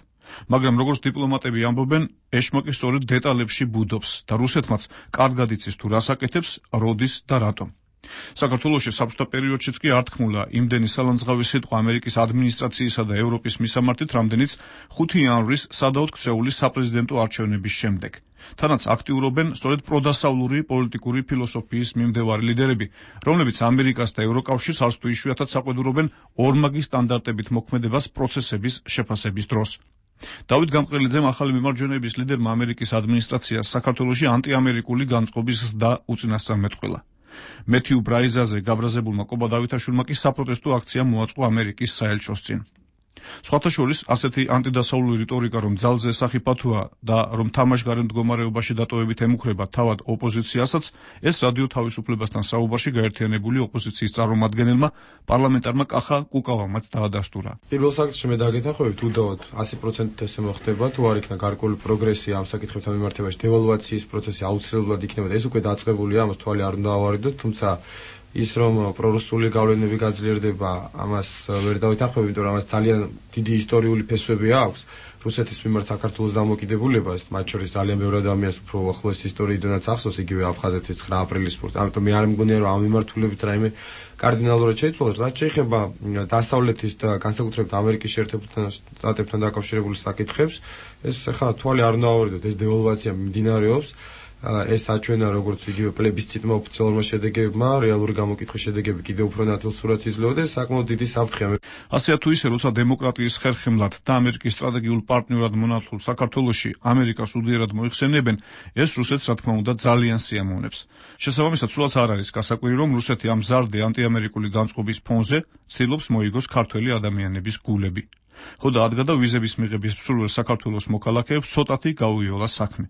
მაგრამ როგორც დიპლომატები ამბობენ, ეშმაკი სწორედ დეტალებში ბუდობს და რუსეთმაც კარგად იცის თუ რას აკეთებს, როდის და რატომ. საქართველოში საბჭოთა პერიოდშიც კი არ თქმულა იმდენი სალანძღავი სიტყვა ამერიკის ადმინისტრაციისა და ევროპის მისამართით, რამდენიც 5 იანვრის სადავოდ ქცეული საპრეზიდენტო არჩევნების შემდეგ. თანაც აქტიურობენ სწორედ პროდასავლური პოლიტიკური ფილოსოფიის მიმდევარი ლიდერები, რომლებიც ამერიკას და ევროკავშირს არც თუ იშვიათად საყვედურობენ ორმაგი სტანდარტებით მოქმედებას პროცესების შეფასების დროს. დავით გამყრელიძემ ახალი მიმარჯვენეების ლიდერმა ამერიკის ადმინისტრაციას საქართველოში ანტიამერიკული განწყობის ზრდა უწინასწარმეტყველა. მეთიუ ბრაიზაზე გაბრაზებულმა კობა დავითაშვილმა კი საპროტესტო აქცია მოაწყო ამერიკის საელჩოს წინ. სხვათა შორის ასეთი ანტიდასავლური რიტორიკა რომ ძალზე სახიფათოა და რომ თამაშგარე მდგომარეობაში დატოვებით ემუქრება თავად ოპოზიციასაც, ეს რადიო თავისუფლებასთან საუბარში გაერთიანებული ოპოზიციის წარმომადგენელმა პარლამენტარმა კახა კუკავამაც დაადასტურა. პირველ საკითხში მე დაგეთანხმებით უდავოდ 100% ესე მოხდება, თუ არ იქნა გარკვეული პროგრესი ამ საკითხებთან მიმართებაში, დევალვაციის პროცესი აუცილებლად იქნება და ეს უკვე დაწყებულია, ამას თვალი არ უნდა ავარიდოთ, თუმცა ის რომ პრორუსული გავლენები გაძლიერდება, ამას ვერ დავითანხმებ, იმიტომ რომ ამას ძალიან დიდი ისტორიული ფესვები აქვს. რუსეთის მიმართ საქართველოს დამოკიდებულებას, მათ შორის ძალიან ბევრი ადამიანს უფრო ახლოს ისტორიიდანაც ახსოვს, იგივე აფხაზეთის 9 აპრილის სპორტს. ამიტომ მე არ მგონია რომ ამ მიმართულებით რაიმე კარდინალურად შეიცვალოს. რაც შეეხება დასავლეთის და განსაკუთრებით ამერიკის შეერთებულ შტატებთან დაკავშირებული საკითხებს, ეს ახლა თვალი არ უნდა ავარიდოთ, ეს დევალვაცია მიმდინარეობს. ეს აჩვენა როგორც იგივე პლებისციტმა ოფიციალურმა შედეგებმა, რეალური გამოკითხვის შედეგები კიდევ უფრო ნათელ სურათს იძლევა და საკმაოდ დიდი საფრთხეა. ასეა თუ ისე, როცა დემოკრატიის ხერხემლად და ამერიკის სტრატეგიულ პარტნიორად მონათულ საქართველოში ამერიკას უდიერად მოიხსენებენ, ეს რუსეთს რა თქმა უნდა ძალიან სიამოვნებს. შესაბამისად, სულაც არ არის გასაკვირი, რომ რუსეთი ამ მზარდი ანტიამერიკული განწყობის ფონზე ცდილობს მოიგოს ქართველი ადამიანების გულები. ხო და ადგადა ვიზების მიღების მსურველ საქართველოს მოქალაქეებს ცოტათი გაუიოლა საქმე.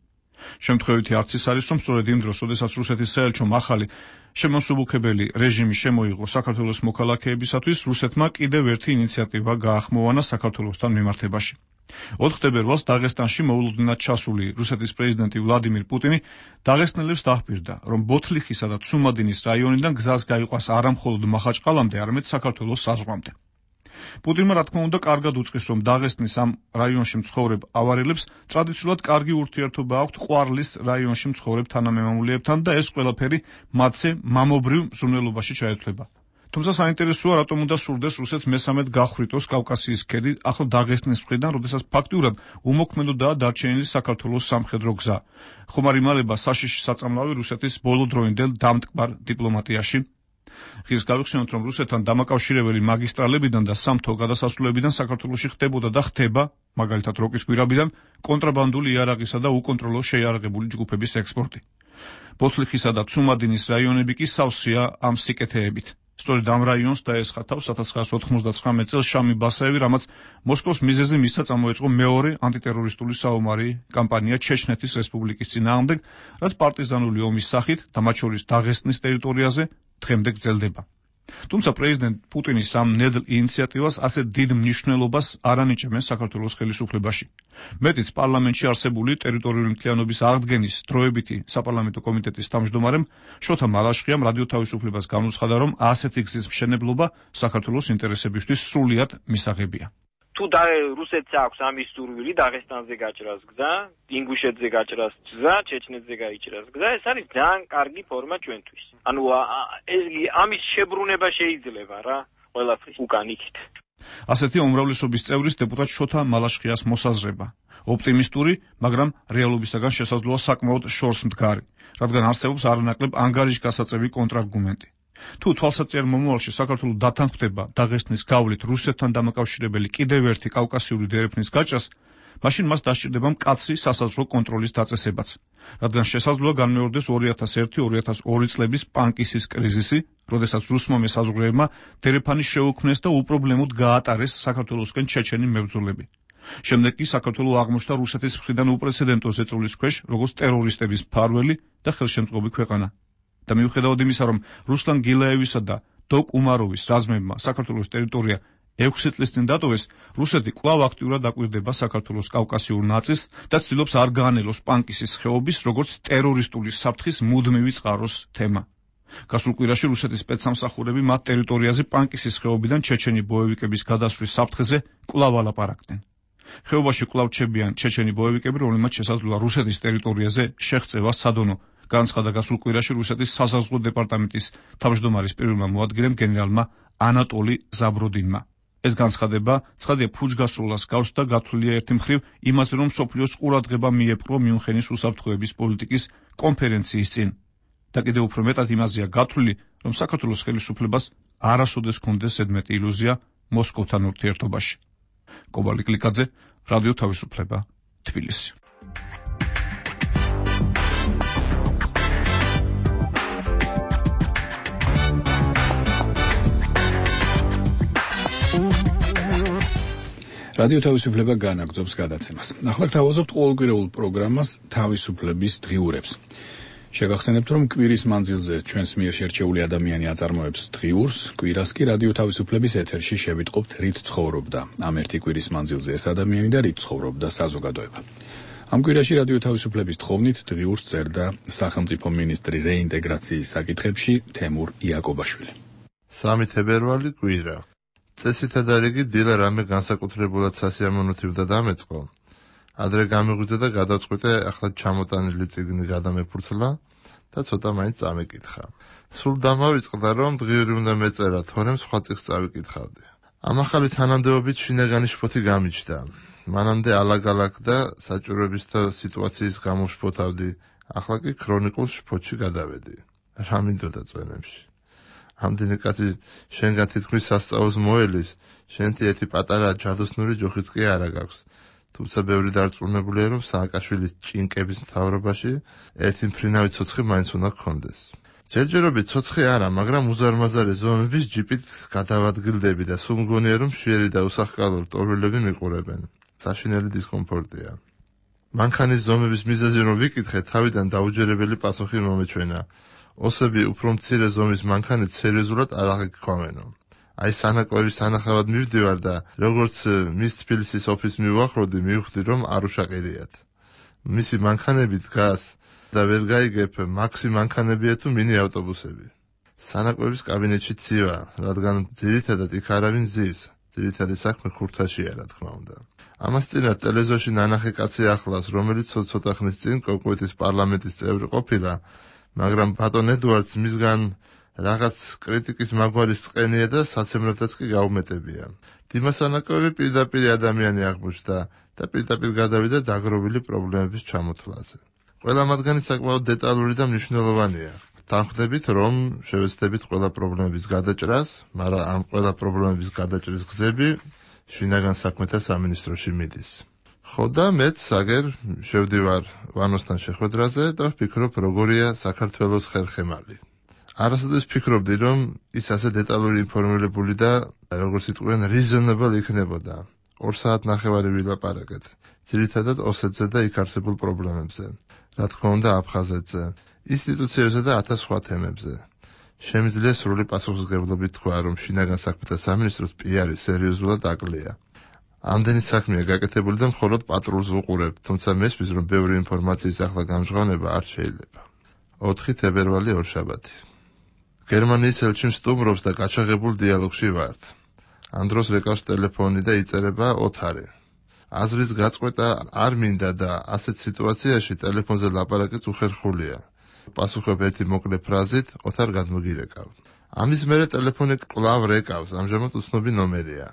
შემთხვევითი არც ის არის, რომ სწორედ იმ დროს, როდესაც რუსეთის საელჩომ ახალი შემოსუბუქებელი რეჟიმი შემოიღო საქართველოს მოქალაქეებისათვის, რუსეთმა კიდევ ერთი ინიციატივა გაახმოვანა საქართველოსთან მიმართებაში. 4 თებერვალს დაღესტანში მოულოდნელად ჩასული რუსეთის პრეზიდენტი ვლადიმირ პუტინი დაღესტნელებს დაჰპირდა, რომ ბოთლიხისა და ცუმადინის რაიონიდან გზას გაიყვას არა მხოლოდ მახაჭყალამდე, არამედ საქართველოს საზღვრამდე. პუტინმა რა თქმა უნდა კარგად უწყის, რომ დაღესტნის ამ რაიონში მცხოვრებ ავარელებს ტრადიციულად კარგი ურთიერთობა აქვთ ყვარლის რაიონში მცხოვრებ თანამემამულეებთან და ეს ყველაფერი მათზე მამობრივ მზრუნველობაში ჩაეთვლება. თუმცა საინტერესოა, რატომ უნდა სურდეს რუსეთს მესამედ გახვრიტოს კავკასიის ქედი ახლა დაღესტნის მხრიდან, როდესაც ფაქტიურად უმოქმედოდაა დარჩენილი საქართველოს სამხედრო გზა. ხომ არ იმალება საშიში საწამლავი რუსეთის ბოლო დროინდელ დამტკბარ დიპლომატიაში? ხის გავიხსენოთ, რომ რუსეთთან დამაკავშირებელი მაგისტრალებიდან და სამთო გადასასვლელებიდან საქართველოში ხდებოდა და ხდება, მაგალითად როკის გვირაბიდან, კონტრაბანდული იარაღისა და უკონტროლო შეიარაღებული ჯგუფების ექსპორტი. ბოთლიხისა და ცუმადინის რაიონები კი სავსეა ამ სიკეთეებით. სწორედ ამ რაიონს დაესხა თავს 1999 წელს შამი ბასაევი, რამაც მოსკოვს მიზეზი მისცა წამოეწყო მეორე ანტიტერორისტული საომარი კამპანია ჩეჩნეთის რესპუბლიკის წინააღმდეგ, რაც პარტიზანული ომის სახით და მათ შორის დაღესტნის ტერიტორიაზე დღემდე გრძელდება. თუმცა პრეზიდენტ პუტინის ამ ნედლ ინიციატივას ასე დიდ მნიშვნელობას არ ანიჭებენ საქართველოს ხელისუფლებაში. მეტიც პარლამენტში არსებული ტერიტორიული მთლიანობის აღდგენის დროებითი საპარლამენტო კომიტეტის თავმჯდომარემ შოთა მალაშხიამ რადიო თავისუფლებას განუცხადა, რომ ასეთი გზის მშენებლობა საქართველოს ინტერესებისთვის სრულიად მისაღებია. თუ რუსეთს აქვს ამის სურვილი დაღესტანზე გაჭრას გზა, ინგუშეთზე გაჭრას გზა, ჩეჩნეთზე გაიჭრას გზა, ეს არის ძალიან კარგი ფორმა ჩვენთვის. ანუ ეს ამის შებრუნება შეიძლება რა, ყველაფრის უკან იქით. ასეთი უმრავლესობის წევრის დეპუტატ შოთა მალაშხიას მოსაზრება. ოპტიმისტური, მაგრამ რეალობისაგან შესაძლოა საკმაოდ შორს მდგარი, რადგან არსებობს არანაკლებ ანგარიშგასაწევი კონტრარგუმენტი. თუ თვალსაჩინო მომავალში საქართველოს დათანხმდება დაღესტნის გავლით რუსეთთან დამაკავშირებელი კიდევ ერთი კავკასიური დერეფნის გაჭრას, მაშინ მას დასჭირდება მკაცრი სასაზღვრო კონტროლის დაწესებაც, რადგან შესაძლოა განმეორდეს 2001-2002 წლების პანკისის კრიზისი, როდესაც რუსმა მესაზღვრეებმა დერეფანი შეუქმნეს და უპრობლემოდ გაატარეს საქართველოსკენ ჩეჩენი მებრძოლები. შემდეგ კი საქართველო აღმოჩნდა რუსეთის მხრიდან უპრეცედენტო ზეწოლის ქვეშ, როგორც ტერორისტების მფარველი და ხელშემწყობი ქვეყანა. და მიუხედავად იმისა, რომ რუსლან გილაევისა და დოკ უმაროვის რაზმებმა საქართველოს ტერიტორია 6 წლის წინ დატოვეს, რუსეთი კვლავ აქტიურად აკვირდება საქართველოს კავკასიურ ნაწილს და ცდილობს არ გაანელოს პანკისის ხეობის, როგორც ტერორისტული საფრთხის მუდმივი წყაროს თემა. გასულ კვირაში რუსეთის სპეცსამსახურები მათ ტერიტორიაზე პანკისის ხეობიდან ჩეჩენი ბოევიკების გადასვლის საფრთხეზე კვლავ ალაპარაკდნენ. ხეობაში კვლავ რჩებიან ჩეჩენი ბოევიკები, რომლებმაც შესაძლოა რუსეთის ტერიტორიაზე შეღწევა სადონო, განცხადა გასულ კვირაში რუსეთის საზღვაო დეპარტამენტის თავმჯდომარის პირველმა მოადგილემ გენერალმა ანატოლი ზაბროდინმა. ეს განცხადება ცხადია ფუჭგასროლას გავს და გათვლილია ერთი მხრივ იმაზე, რომ მსოფლიოს ყურადღება მიეპყრო მიუნხენის უსაფრთხოების პოლიტიკის კონფერენციის წინ. და კიდევ უფრო მეტად იმაზეა გათვლილი, რომ საქართველოს ხელისუფლებას არასოდეს ჰქონდეს ზედმეტი ილუზია მოსკოვთან ურთიერთობაში. კობალი კლიკაძე, რადიო თავისუფლება, თბილისი. რადიო თავისუფლება განაგრძობს გადაცემას. ახლა გთავაზობთ ყოველკვირეულ პროგრამას თავისუფლების დღიურებს. შეგახსენებთ, რომ კვირის მანძილზე ჩვენს მიერ შერჩეული ადამიანი აწარმოებს დღიურს, კვირას კი რადიო თავისუფლების ეთერში შევიტყობთ რით ცხოვრობდა ამ ერთი კვირის მანძილზე ეს ადამიანი და რით ცხოვრობდა საზოგადოება. ამ კვირაში რადიო თავისუფლების თხოვნით დღიურს წერდა სახელმწიფო მინისტრი რეინტეგრაციის საკითხებში თემურ იაკობაშვილი. 3 თებერვალი კვირა. წესითა და რიგი დილა რამე განსაკუთრებულად სასიამოვნოთივდა დამეწყო. ადრე გამიღვიძა და გადავწყვიტე ახლა ჩამოტანილი წიგნი გადამეფურცლა და ცოტა მაინც წამეკითხა. სულ დამავიწყდა რომ დღიური უნდა მეწერა, თორემ სხვა წიგნს წავიკითხავდი. ამ ახალი თანამდებობით შინაგანი შფოთი გამიჩნდა. მანამდე ალაგ-ალაგ და საჭიროების და სიტუაციის გამო შფოთავდი, ახლა კი ქრონიკულ შფოთში გადავედი. რა მინდოდა წვენებში? ამდენი კაცი შენგან თითქმის სასწაულს მოელის, შენთი ერთი პატარა ჯადოსნური ჯოხიც კი არა გაქვს. თუმცა ბევრი დარწმუნებულია, რომ სააკაშვილის ჭინკების მთავრობაში ერთი მფრინავი ცოცხი მაინც უნდა გქონდეს. ჯერჯერობით ცოცხი არა, მაგრამ უზარმაზარი ზომების ჯიპით გადავადგილდები და სულ მგონია, რომ მშვიერი და უსახკალო რტოვილები მიყურებენ. საშინელი დისკომფორტია. მანქანის ზომების მიზეზი რომ ვიკითხე, თავიდან დაუჯერებელი პასუხი მომეჩვენა. ოსები უფრო მცირე ზომის მანქანით სერიოზულად არ აღიქქვამენო. აი სანაკვების სანახავად მივდივარ და როგორც მის თბილისის ოფისს მივუახლოვდი, მივხვდი რომ არ უშაყირიათ. მისი მანქანები დგას და ვერ გაიგებ მაქსი მანქანებია თუ მინი ავტობუსები. სანაკვების კაბინეტში ცივა, რადგან ძირითადად იქ არავინ ზის. ძირითადი საქმე ხურთაშია, რა თქმა უნდა. ამას წინათ ტელევიზორში ნანახი კაცი ახლავს, რომელიც ცოტა ხნის წინ კოკვეთის პარლამენტის წევრი ყოფილა, მაგრამ ბატონ ედუარდს მისგან რაღაც კრიტიკის მაგვარის წყენია და საცემრათაც კი გაუმეტებია. დიმას ანაკოვი პირდაპირ ადამიანი აღმოჩნდა და პირდაპირ გადავიდა დაგროვილი პრობლემების ჩამოთვლაზე. ყველა მათგანი საკმაოდ დეტალური და მნიშვნელოვანია. თანხმდებით, რომ შევეცდებით ყველა პრობლემების გადაჭრას, მაგრამ ამ ყველა პრობლემების გადაჭრის გზები შინაგან საქმეთა სამინისტროში მიდის. ხო და მეც აგერ შევდივარ ვანოსთან შეხვედრაზე და ვფიქრობ, როგორია საქართველოს ხერხემალი. არასოდეს ფიქრობდი, რომ ის ასე დეტალური ინფორმირებული და როგორც იტყვიან reasonable იქნებოდა. 2 საათ ნახევარი ვილაპარაკეთ. ძირითადად ოსეთზე და იქ არსებულ პრობლემებზე. რა თქმა უნდა აფხაზეთზე, ინსტიტუციებზე და 1000 სხვა თემებზე. შემიძლია სრული პასუხისმგებლობით თქვა, რომ შინაგან საქმეთა სამინისტროს პიარი სერიოზულად აკლია. ამდენი საქმეა გაკეთებული და მხოლოდ პატრულს ვუყურებ, თუმცა მესმის, რომ ბევრი ინფორმაციის ახლა გამჟღავნება არ შეიძლება. 4 თებერვალი ორშაბათი. გერმანიის ელჩი სტუმრობს და გაჩაღებულ დიალოგში ვართ. ამ დროს რეკავს ტელეფონი და იწერება ოთარი. აზრის გაწყვეტა არ მინდა და ასეთ სიტუაციაში ტელეფონზე ლაპარაკიც უხერხულია. პასუხობ ერთი მოკლე ფრაზით, ოთარ გადმოგირეკავ. ამის მერე ტელეფონი კვლავ რეკავს, ამჟამად უცნობი ნომერია.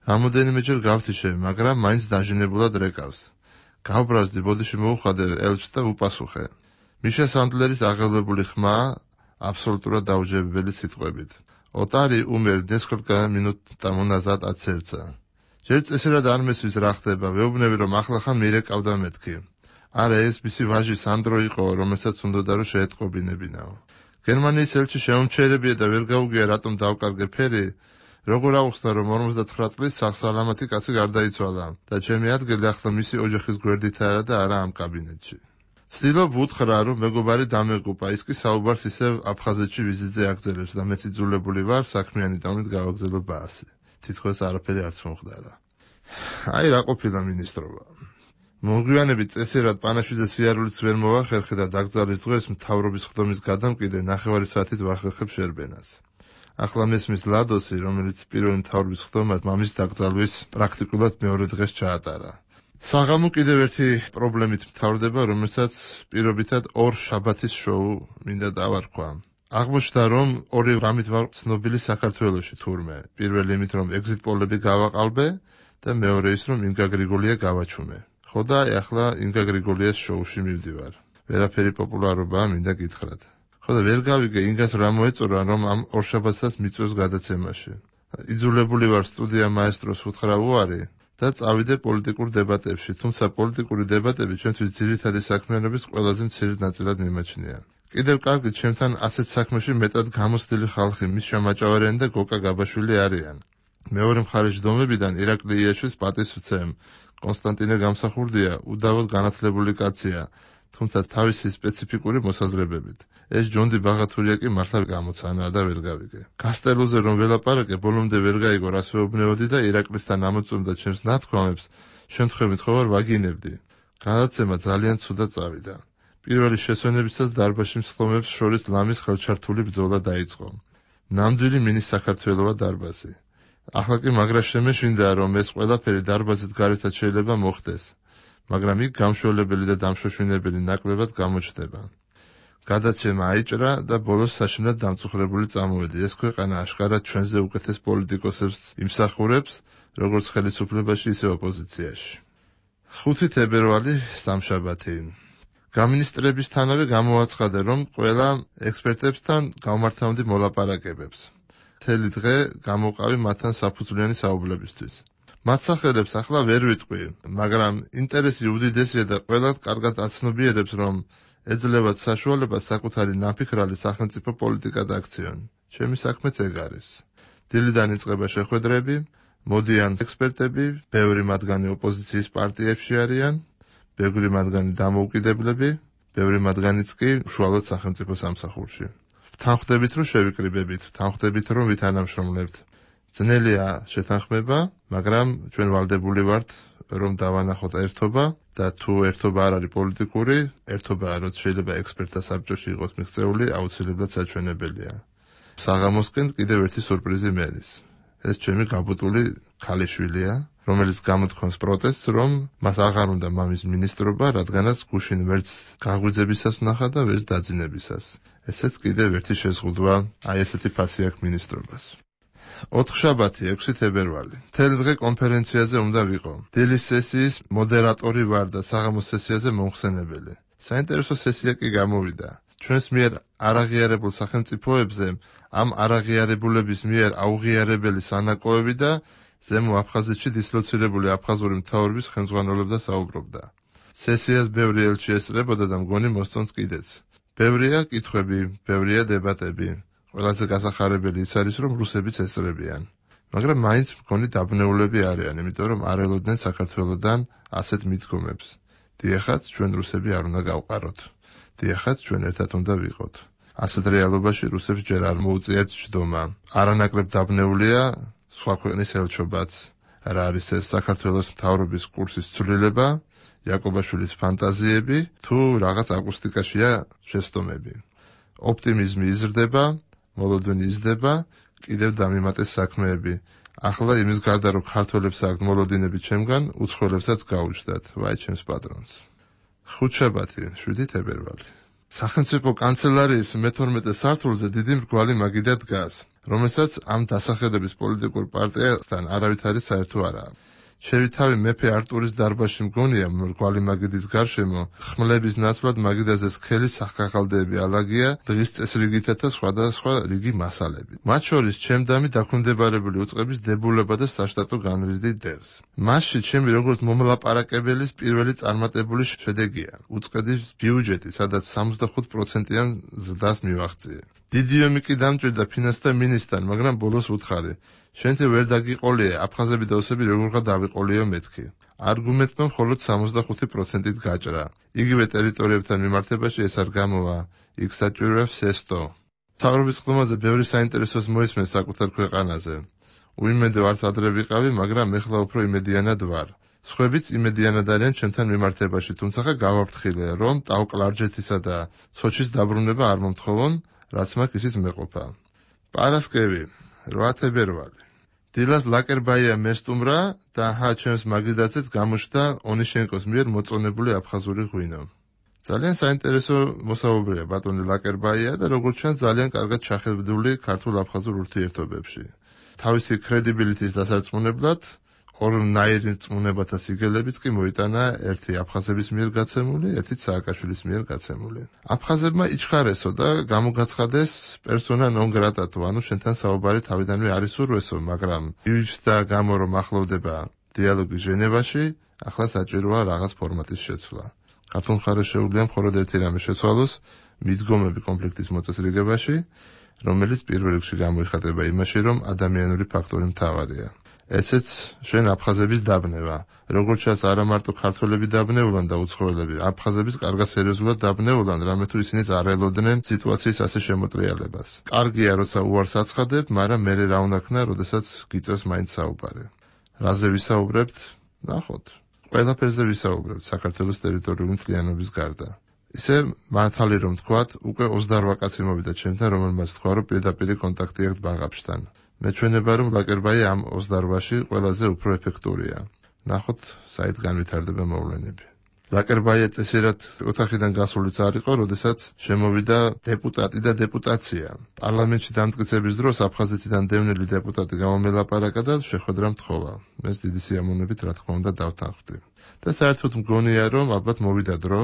რამოდენიმეჯერ გავთიშე, მაგრამ მაინც დაჟინებულად რეკავს. გავბრაზდი, ბოდიში მოუხადე ელჩს და უპასუხე. მიშა სანდლერის აღელვებული ხმა აბსოლუტურად დაუჯერებელი სიტყვებით. ოტარი умер несколько минут тому назад от сердца. ჯერ წესერად არ მესვის რა ხდება, ვეუბნები რომ ახლახან მირეკავდა მეთქი. არა ეს მისი ვაჟი სანდრო იყო, რომელსაც უნდოდა რომ შეეტყობინებინაო. გერმანიის ელჩი შეუმჩერებია და ვერ გაუგია რატომ დავკარგე ფერი. როგორ აუხსნა რომ 59 წლის სახსალამათი კაცი გარდაიცვალა და ჩემი ადგილი ახლა მისი ოჯახის გვერდით არა და არა ამ კაბინეტში. ცდილობ უთხრა რომ მეგობარი დამეღუპა, ის კი საუბარს ისევ აფხაზეთში ვიზიტზე აგრძელებს და მეც იძულებული ვარ საქმიანი ტონით გავაგზავნო ბაასი. თითქოს არაფერი არც მომხდარა. აი რა ყოფილა მინისტრობა. მოგვიანებით წესერად პანაშვიძე სიარულიც ვერ მოვახერხე და დაკრძალის დღეს მთავრობის ხდომის გადამკიდე 9 საათით ვახერხებ შერბენას. ახლა მესმის ლადოსი, რომელიც პირველი მთავრობის ხდომას მამის დაკრძალვის პრაქტიკულად მეორე დღეს ჩაატარა. საღამო კიდევ ერთი პრობლემით მთავრდება, რომელსაც პირობითად 2 შაბათის შოუ მინდა დავარქვა. აღმოჩნდა, რომ 2 რამით ვარ ცნობილი საქართველოში თურმე. პირველი იმით, რომ ეგზიტ პოლები გავაყალბე და მეორე ის, რომ ინგა გრიგოლია გავაჩუმე. ხო და ახლა ინგა გრიგოლიას შოუში მივდივარ. ვერაფერი პოპულარობაა მინდა გითხრათ. ხო და ვერ გავიგე ინგას რა მოეწონა, რომ ამ 2 შაბათსაც მიწვევს გადაცემაში. იძულებული ვარ სტუდია მაესტროს უთხრა უარი და წავიდე პოლიტიკურ დებატებში, თუმცა პოლიტიკური დებატები ჩვენთვის ძირითადი საქმიანობის ყველაზე მცირე ნაწილად მიმაჩნია. კიდევ კარგი, ჩემთან ასეთ საქმეში მეტად გამოცდილი ხალხი, მის შემაჭავარიანი და გოკა გაბაშვილი არიან. მეორე მხარის ჯდომებიდან ირაკლი იაშვილის პატივსაცემ კონსტანტინე გამსახურდია უდავოდ განათლებული კაცია, თუმცა თავისი სპეციფიკური მოსაზრებებით. ეს ჯონდი ბაღათურია კი მართლა გამოცანაა და ვერ გავიგე. გასტელოზე რომ ველაპარაკე, ბოლომდე ვერ გაიგო რას ვეუბნებოდი და ირაკლისთან ამოწმდა ჩემს ნათქვამებს, შემთხვევით ხო ვარ ვაგინებდი. გადაცემა ძალიან ცუდად წავიდა. პირველი შესვენებისას დარბაზში მსხლომებს შორის ლამის ხელჩართული ბრძოლა დაიწყო. ნამდვილი მინის საქართველოა დარბაზი. ახლა კი მაგრა შემეშინდა, რომ ეს ყველაფერი დარბაზით გარეთაც შეიძლება მოხდეს, მაგრამ იქ გამშველებელი და დამშვენებელი ნაკლებად გამოჩნდება. გადაცემა აიჭრა და ბოლოს საშინად დამწუხრებული წამოვედი. ეს ქვეყანა აშკარად ჩვენზე უკეთეს პოლიტიკოსებს იმსახურებს, როგორც ხელისუფლებაში, ისე ოპოზიციაში. 5 თებერვალი სამშაბათი. გამინისტრებისთანავე გამოაცხადე, რომ ყველა ექსპერტებთან გავმართავდი მოლაპარაკებებს. მთელი დღე გამოვყავი მათთან საფუძვლიანი საუბლებისთვის. მათ სახელებს ახლა ვერ ვიტყვი, მაგრამ ინტერესი უდიდესია და ყველა კარგად აცნობიერებს, რომ ეძლევათ საშუალებას საკუთარი ნაფიქრალი სახელმწიფო პოლიტიკად აქციონ. ჩემი საქმეც ეგ არის. დილიდან იწყება შეხვედრები, მოდიან ექსპერტები, ბევრი მათგანი ოპოზიციის პარტიებში არიან, ბევრი მათგანი დამოუკიდებლები, ბევრი მათგანიც კი უშუალოდ სახელმწიფო სამსახურში. თანხმდებით, რომ შევიკრიბებით, თანხმდებით, რომ ვითანამშრომლებთ. ძნელია შეთანხმება, მაგრამ ჩვენ ვალდებული ვართ, რომ დავანახოთ ერთობა და თუ ერთობა არ არის პოლიტიკური, ერთობა რაც შეიძლება ექსპერტთა საბჭოში იყოს მიღწეული, აუცილებლად საჩვენებელია. საღამოსკენ კიდევ ერთი სურპრიზი მერის. ეს ჩემი გაბუტული ქალიშვილია, რომელიც გამოთქვამს პროტესტს, რომ მას აღარ უნდა მამის მინისტრობა, რადგანაც გუშინ ვერც გაღვიძებისას ვნახა და ვერც დაძინებისას. ესეც კიდევ ერთი შეზღუდვა აი ესეთი ფასი აქვს მინისტრობას. 4-შაბათი 6 თებერვალი. მთელი დღე კონფერენციაზე უნდა ვიყო. დილის სესიის მოდერატორი ვარ და საღამოს სესიაზე მომხსენებელი. საინტერესო სესია კი გამოვიდა. ჩვენს მიერ არაღიარებულ სახელმწიფოებზე ამ არაღიარებულების მიერ აუღიარებელი სანაკოები და ზემო აფხაზეთში დისლოცირებული აფხაზური მთავრობის ხელმძღვანელობდა საუბრობდა. სესიას ბევრი ელჩი ესწრებოდა და მგონი მოსწონს კიდეც. ბევრია კითხვები, ბევრია დებატები. ყველაზე გასახარებელი ის არის, რომ რუსებიც ესწრებიან. მაგრამ მაინც მგონი დაბნეულები არიან, იმიტომ რომ არ ელოდნენ საქართველოსდან ასეთ მიდგომებს. დიახაც, ჩვენ რუსები არ უნდა გავყაროთ. დიახაც, ჩვენ ერთად უნდა ვიყოთ. ასეთ რეალობაში რუსებს ჯერ არ მოუწიათ ჯდომა. არანაკლებ დაბნეულია სხვა ქვეყნის ელჩობაც. რა არის ეს საქართველოს მთავრობის კურსის ცვლილება, იაკობაშვილის ფანტაზიები, თუ რაღაც აკუსტიკაშია შეცდომები. ოპტიმიზმი იზრდება, მოლოდინი იზრდება, კიდევ დამიმატეს საქმეები. ახლა იმის გარდა, რომ ქართველებს აქვთ მოლოდინები ჩემგან, უცხოელებსაც გაუჩნდათ. ვაი ჩემს პატრონს. 5-შაბათი 7 თებერვალი. სახელმწიფო კანცელარიის მე-12 სართულზე დიდი მრგვალი მაგიდა დგას, რომელსაც ამ დასახელების პოლიტიკურ პარტიასთან არავითარი საერთო არ აქვს. შევითავი მეფე არტურის დარბაზში მგონია მრგვალი მაგიდის გარშემო, ხმლების ნაცვლად მაგიდაზე სქელი სახკახალდეები ალაგია, დღის წესრიგითა და სხვადასხვა რიგი მასალები. მათ შორის ჩემდამი დაქვემდებარებული უწყების დებულება და საშტატო განრიდი დევს. მასში ჩემი როგორც მომლაპარაკებელის პირველი წარმატებული შედეგია. უწყების ბიუჯეტი, სადაც 65%-იან ზრდას მივაღწიე. დიდი ომი კი დამჭირდა ფინანსთა მინისტრთან, მაგრამ ბოლოს უთხარი. შენთი ვერ დაგიყოლია, აფხაზები და ოსები როგორღა დავიყოლიო მეთქი. არგუმენტმა მხოლოდ 65%-ით გაჭრა. იგივე ტერიტორიებთან მიმართებაში ეს არ გამოვა. იქ საჭიროა სესტო. მთავრობის ხმაზე ბევრი საინტერესოს მოისმენს საკუთარ ქვეყანაზე. უიმედო არც ადრე ვიყავი, მაგრამ ეხლა უფრო იმედიანად ვარ. სხვაებიც იმედიანად არიან ჩემთან მიმართებაში, თუმცა გავაფრთხილე, რომ ტავკლარჯეთისა და სოჩის დაბრუნება არ მომთხოვონ, რაც მაქვს ისიც მეყოფა. პარასკევი 8 თებერვალი. დილას ლაკერბაია მესტუმრა და ჩემს მაგიდაცეც გამოჩნდა ონიშენკოს მიერ მოწონებული აფხაზური ღვინო. ძალიან საინტერესო მოსაუბრეა ბატონი ლაკერბაია და როგორც ჩანს ძალიან კარგად ჩახედული ქართულ-აფხაზურ ურთიერთობებში. თავისი კრედიბილიტის დასარწმუნებლად ორნაირი რწმუნებათა სიგელებიც კი მოიტანა ერთი აფხაზების მიერ გაცემული, ერთი სააკაშვილის მიერ გაცემული. აფხაზებმა იჩხარესო და გამოგაცხადეს პერსონა ნონ გრატატო, ანუ შენთან საუბარი თავიდანვე არის ურვესო, მაგრამ ის და გამო რომ ახლოვდება დიალოგი ჟენევაში, ახლა საჭიროა რაღაც ფორმატის შეცვლა. ქართულ მხარეს შეუძლია მხოლოდ ერთი რამე შეცვალოს, მიდგომები კონფლიქტის მოწესრიგებაში, რომელიც პირველ რიგში გამოიხატება იმაში, რომ ადამიანური ფაქტორი მთავარია. ესეც შენ აფხაზების დაბნევა. როგორც ჩანს, არა მარტო ქართველები დაბნეულან და უცხოელები, აფხაზების კარგად სერიოზულად დაბნეულან, რამე თუ ისინი არ ელოდნენ სიტუაციის ასე შემოტრიალებას. კარგია, როცა უარს აცხადებ, მაგრამ მერე რა უნდა ქნა, როდესაც გიწევს მაინც საუბარი. რაზე ვისაუბრებთ? ნახოთ. ყველაფერზე ვისაუბრებთ საქართველოს ტერიტორიული მთლიანობის გარდა. ისე მართალი რომ თქვათ, უკვე 28 კაცი მოვიდა ჩემთან, რომელმაც თქვა, რომ პირდაპირ კონტაქტი აქვს ბაღაფშთან. მეჩვენება, რომ ლაკერბაი ამ 28-ში ყველაზე უფრო ეფექტურია. ნახოთ, საით განვითარდება მოვლენები. ლაკერბაია წესიერად ოთახიდან გასულიც არ იყო, როდესაც შემოვიდა დეპუტატი და დეპუტაცია. პარლამენტში დამტკიცების დროს აფხაზეთიდან დევნილი დეპუტატი გამომელაპარაკა და შეხვედრა მთხოვა. მეც დიდი სიამოვნებით, რა თქმა უნდა, დავთანხმდი. და საერთოდ მგონია, რომ ალბათ მოვიდა დრო,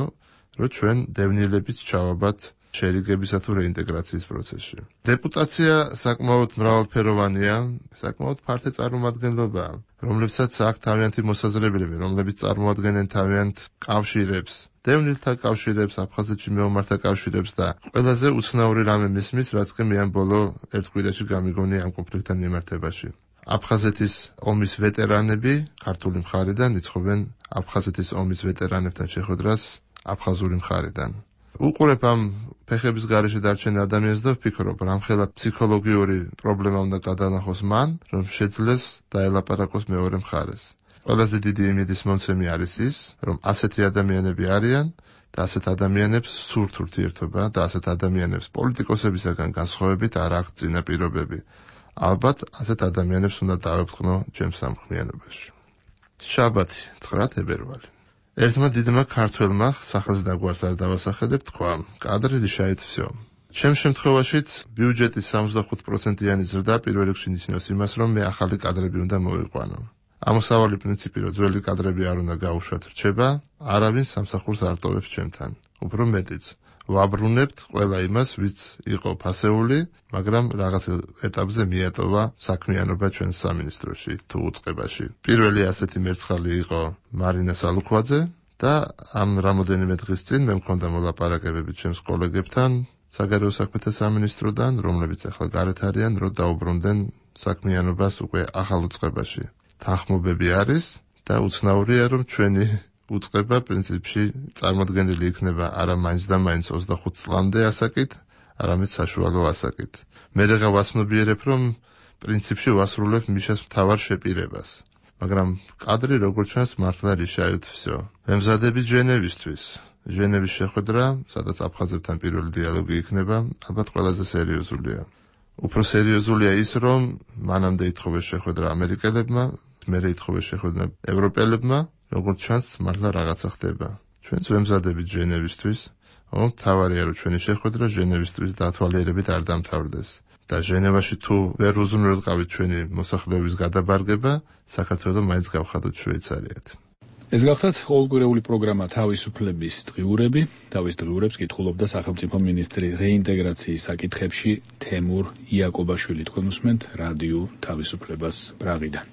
რომ ჩვენ დევნილებით ჩავაბათ შერიგებისა თუ რეინტეგრაციის პროცესში. დეპუტაცია საკმაოდ მრავალფეროვანია, საკმაოდ ფართე წარმომადგენლობაა, რომლებსაც აქვს თავიანთი მოსაზრებები, რომლებიც წარმოადგენენ თავიანთ კავშირებს, დევნილთა კავშირებს, აფხაზეთში მეომართა კავშირებს და ყველაზე უცნაური რამე მისმის, რაც კი მე ამ ბოლო ერთ კვირაში გამიგონია ამ კონფლიქტთან მიმართებაში. აფხაზეთის ომის ვეტერანები ქართული მხარიდან იცხოვენ აფხაზეთის ომის ვეტერანებთან შეხვედრას აფხაზური მხარიდან. უყურებ ამ ფეხების გარეშე დარჩენ ადამიანს და ვფიქრობ, რამხელა ფსიქოლოგიური პრობლემა უნდა გადანახოს მან, რომ შეძლეს დაელაპარაკოს მეორე მხარეს. ყველაზე დიდი იმედის მომცემი არის ის, რომ ასეთი ადამიანები არიან და ასეთ ადამიანებს სურთ ურთიერთობა და ასეთ ადამიანებს პოლიტიკოსებისაგან განსხვავებით არ აქვს წინაპირობები. ალბათ ასეთ ადამიანებს უნდა დავეფრთხნო ჩემს სამხმიანობაში. შაბათი 9 თებერვალი. ერთმა დიდმა ქართველმა, სახელს და გვარს არ დავასახელებ, თქვა: კადრი რიშაით всё. ჩემ შემთხვევაშიც ბიუჯეტის 65%-იანი ზრდა პირველ რიგში ნიშნავს იმას, რომ მე ახალი კადრები უნდა მოვიყვანო. ამოსავალი პრინციპი, რომ ძველი კადრები არ უნდა გაუშვათ, რჩება, არავინ სამსახურს არ ტოვებს ჩემთან. უფრო მეტიც, ვაბრუნებთ ყველა იმას, ვიც იყო ფასეული, მაგრამ რაღაც ეტაპზე მიატოვა საქმიანობა ჩვენს სამინისტროში თუ უწყებაში. პირველი ასეთი მერცხალი იყო მარინა სალუქვაძე და ამ რამოდენიმე დღის წინ მე მქონდა მოლაპარაკებები ჩემს კოლეგებთან საგარეო საქმეთა სამინისტროდან, რომლებიც ახლა გარეთ არიან, რომ დაუბრუნდნენ საქმიანობას უკვე ახალ უწყებაში. თანხმობები არის და უცნაურია, რომ ჩვენი უწყება პრინციპში წარმოდგენილი იქნება არა მაინც და მაინც 25 წლამდე ასაკით, არამედ საშუალო ასაკით. მე რა ვაცნობიერებ, რომ პრინციპში ვასრულებ მიშას მთავარ შეპირებას. მაგრამ კადრი როგორც ჩანს მართლა რიშაით всё. მემზადები ჟენევისთვის. ჟენევის შეხვედრა, სადაც აფხაზებთან პირველი დიალოგი იქნება, ალბათ ყველაზე სერიოზულია. უფრო სერიოზულია ის, რომ მანამდე ითხოვეს შეხვედრა ამერიკელებმა, მერე ითხოვეს შეხვედრა ევროპელებმა, როგორც ჩანს, მართლა რაღაცა ხდება. ჩვენც ვემზადებით ჟენევისთვის, მთავარია, რომ ჩვენი შეხვედრა ჟენევისთვის დათვალიერებით არ დამთავრდეს. და ჟენევაში თუ ვერ უზრუნველყავით ჩვენი მოსახლეობის გადაბარგება, საქართველოს მაინც გავხადოთ შვეიცარიად. ეს გახლავთ ყოველკვირეული პროგრამა თავისუფლების დღიურები. თავის დღიურებს კითხულობდა სახელმწიფო მინისტრი რეინტეგრაციის საკითხებში თემურ იაკობაშვილი. თქვენ უსმენთ რადიო თავისუფლებას პრაღიდან.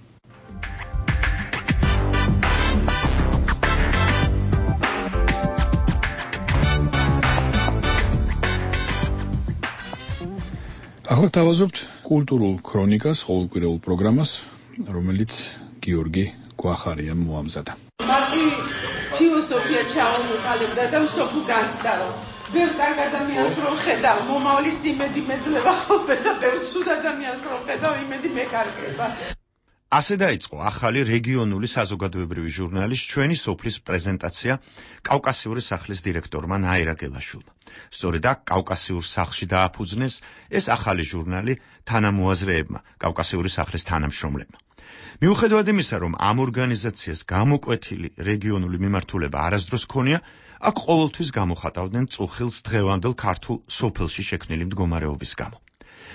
ახლა თავაზობთ კულტურულ ქრონიკას, ყოველკვირეულ პროგრამას, რომელიც გიორგი გვახარიამ მოამზადა. მარტი ფილოსოფია ჩაუმოყალიბდა და მსოფლო განცდა. ბევრ კარგ ადამიანს რომ ხედავ, მომავლის იმედი მეძლება ხოლმე და ბევრ ცუდ ადამიანს რომ ხედავ, იმედი მეკარგება. ასე დაიწყო ახალი რეგიონული საზოგადოებრივი ჟურნალის ჩვენი სოფლის პრეზენტაცია კავკასიური სახლის დირექტორმა ნაირა გელაშვილმა. სწორედ აქ კავკასიურ სახლში დააფუძნეს ეს ახალი ჟურნალი თანამოაზრეებმა, კავკასიური სახლის თანამშრომლებმა. მიუხედავად იმისა, რომ ამ ორგანიზაციას გამოკვეთილი რეგიონული მიმართულება არასდროს ჰქონია, აქ ყოველთვის გამოხატავდნენ წუხილს დღევანდელ ქართულ სოფელში შექმნილი მდგომარეობის გამო.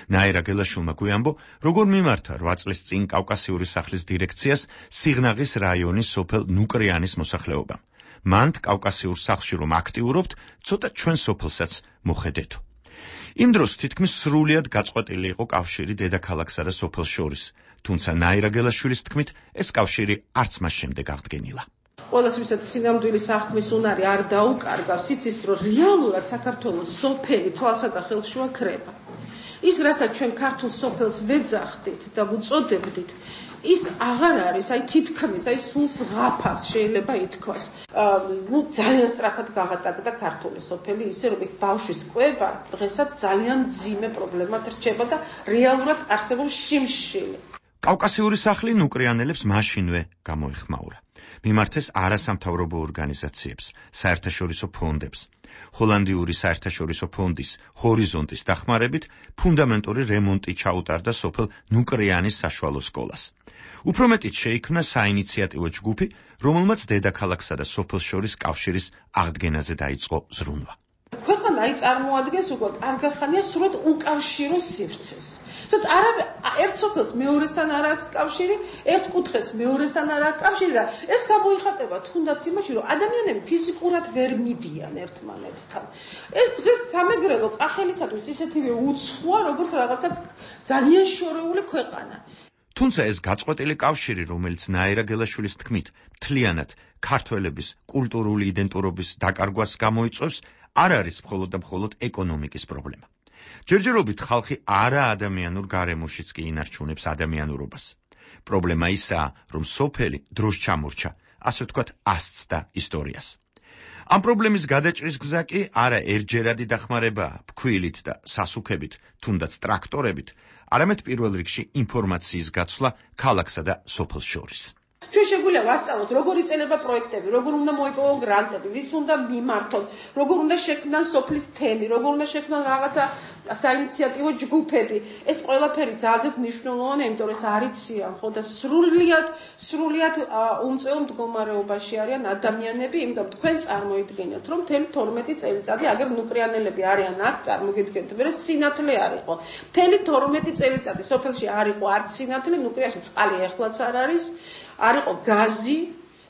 ნაირა გელაშვილმა გვიამბო, როგორ მიმართა 8 წლის წინ კავკასიური სახლის დირექციას სიღნაღის რაიონის სოფელ ნუკრიანის მოსახლეობამ. მანდ კავკასიურ სახლში რომ აქტიურობთ, ცოტა ჩვენ სოფელსაც მოხედეთო. იმ დროს თითქმის სრულიად გაწყვეტილი იყო კავშირი დედაქალაქსა და სოფელს შორის, თუმცა ნაირა გელაშვილის თქმით, ეს კავშირი არც მას შემდეგ აღდგენილა. ყველას ვისაც სინამდვილის აღქმის უნარი არ დაუკარგავს, იცის, რომ რეალურად საქართველოს სოფელი თვალსა და ხელშუა ქრება. ის რასაც ჩვენ ქართულ სოფელს ვეძახდით და უწოდებდით, ის აღარ არის, თითქმის, სულს ღაფავს შეიძლება ითქვას. ძალიან სწრაფად გაღატაკდა ქართული სოფელი, ისე რომ ბავშვის კვება დღესაც ძალიან მძიმე პრობლემად რჩება და რეალურად არსებობს შიმშილი. კავკასიური სახლი ნუკრიანელებს მაშინვე გამოეხმაურა. მიმართეს არასამთავრობო ორგანიზაციებს, საერთაშორისო ფონდებს. ჰოლანდიური საერთაშორისო ფონდის ჰორიზონტის დახმარებით ფუნდამენტური რემონტი ჩაუტარდა სოფელ ნუკრიანის საშუალო სკოლას. უფრო მეტიც შეიქმნა საინიციატივო ჯგუფი, რომელმაც დედაქალაქსა და სოფელს შორის კავშირის აღდგენაზე დაიწყო ზრუნვა. ქვეყანა წარმოადგენს უკვე კარგახანია სრულად უკავშირო სივრცეს. სადაც ერთ სოფელს მეორესთან არ აქვს კავშირი, ერთ კუთხეს მეორესთან არ აქვს კავშირი და ეს გამოიხატება თუნდაც იმაში, რომ ადამიანები ფიზიკურად ვერ მიდიან ერთმანეთთან. ეს დღეს სამეგრელო კახელისათვის ისეთივე უცხოა, როგორც რაღაცა ძალიან შორეული ქვეყანა. თუმცა ეს გაწყვეტილი კავშირი, რომელიც ნაირა გელაშვილის თქმით, მთლიანად ქართველების კულტურული იდენტურობის დაკარგვას გამოიწვევს, არ არის მხოლოდ და მხოლოდ ეკონომიკის პრობლემა. ჯერჯერობით ხალხი არაადამიანურ გარემოშიც კი ინარჩუნებს ადამიანურობას. პრობლემა ისაა, რომ სოფელი დროს ჩამორჩა, ასე ვთქვათ, ასწდა ისტორიას. ამ პრობლემის გადაჭრის გზა კი არა ერთჯერადი დახმარებაა ფქვილით და სასუქებით, თუნდაც ტრაქტორებით, არამედ პირველ რიგში ინფორმაციის გაცვლა ქალაქსა და სოფელს შორის. ჩვენ შეგვიძლია ვასწავლოთ, როგორ იწერება პროექტები, როგორ უნდა მოიპოვონ გრანტები, ვის უნდა მიმართონ, როგორ უნდა შექმნან სოფლის თემი, როგორ უნდა შექმნან რაღაცა საინიციატივო ჯგუფები. ეს ყველაფერი ძალიან მნიშვნელოვანია, იმიტომ რომ ეს არიციან, ხო და სრულიად უმწვევ მდგომარეობაში არიან ადამიანები, იმიტომ თქვენ წარმოიდგინეთ, რომ მთელი 12 წელიწადი აგერ ნუკრიანელები არიან აქ, წარმოგიდგენთ, მე სინათლე არ იყო. მთელი 12 წელიწადი სოფელში არ იყო არც სინათლე, ნუკრიაში წყალი ეხლაც არ არის. არ იყო გაზი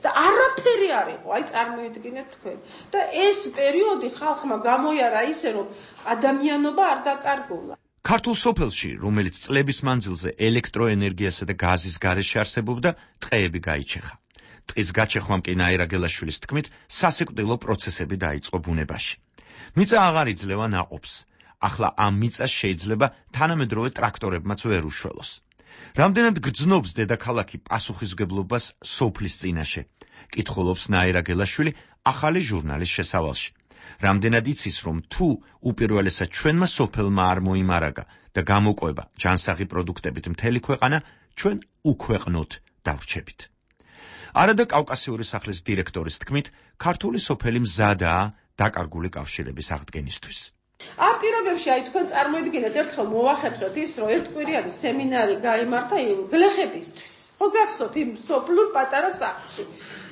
და არაფერი არ იყო, წარმოიდგინეთ თქვენ. და ეს პერიოდი ხალხმა გამოიარა ისე, რომ ადამიანობა არ დაკარგულა. ქართულ სოფელში, რომელიც წლების მანძილზე ელექტროენერგიასა და გაზის გარეშე არსებობდა, ტყეები გაიჩეხა. ტყის გაჩეხვამ კი ნაირა გელაშვილის თქმით, სასიკვდილო პროცესები დაიწყო ბუნებაში. მიწა აღარ იძლევა ნაყოფს. ახლა ამ მიწას შეიძლება თანამედროვე ტრაქტორებმაც ვერ უშველოს. რამდენად გრძნობს დედაქალაქი პასუხისმგებლობას სოფლის წინაშე, კითხულობს ნაირა გელაშვილი ახალი ჟურნალის შესავალში. რამდენად იცის, რომ თუ უპირველესად ჩვენმა სოფელმა არ მოიმარაგა და გამოყვება ჯანსაღი პროდუქტებით მთელი ქვეყანა, ჩვენ უქვეყნოთ დავრჩებით. არადა კავკასიური სახლის დირექტორის თქმით, ქართული სოფელი მზადაა დაკარგული კავშირების აღდგენისთვის. ამ პირობებში თქვენ წარმოიდგინეთ, ერთხელ მოვახერხეთ ის, რომ ერთკვირიანი სემინარი გაიმართა გლეხებისთვის. ხო გახსოვთ იმ სოფლურ პატარა სახლში.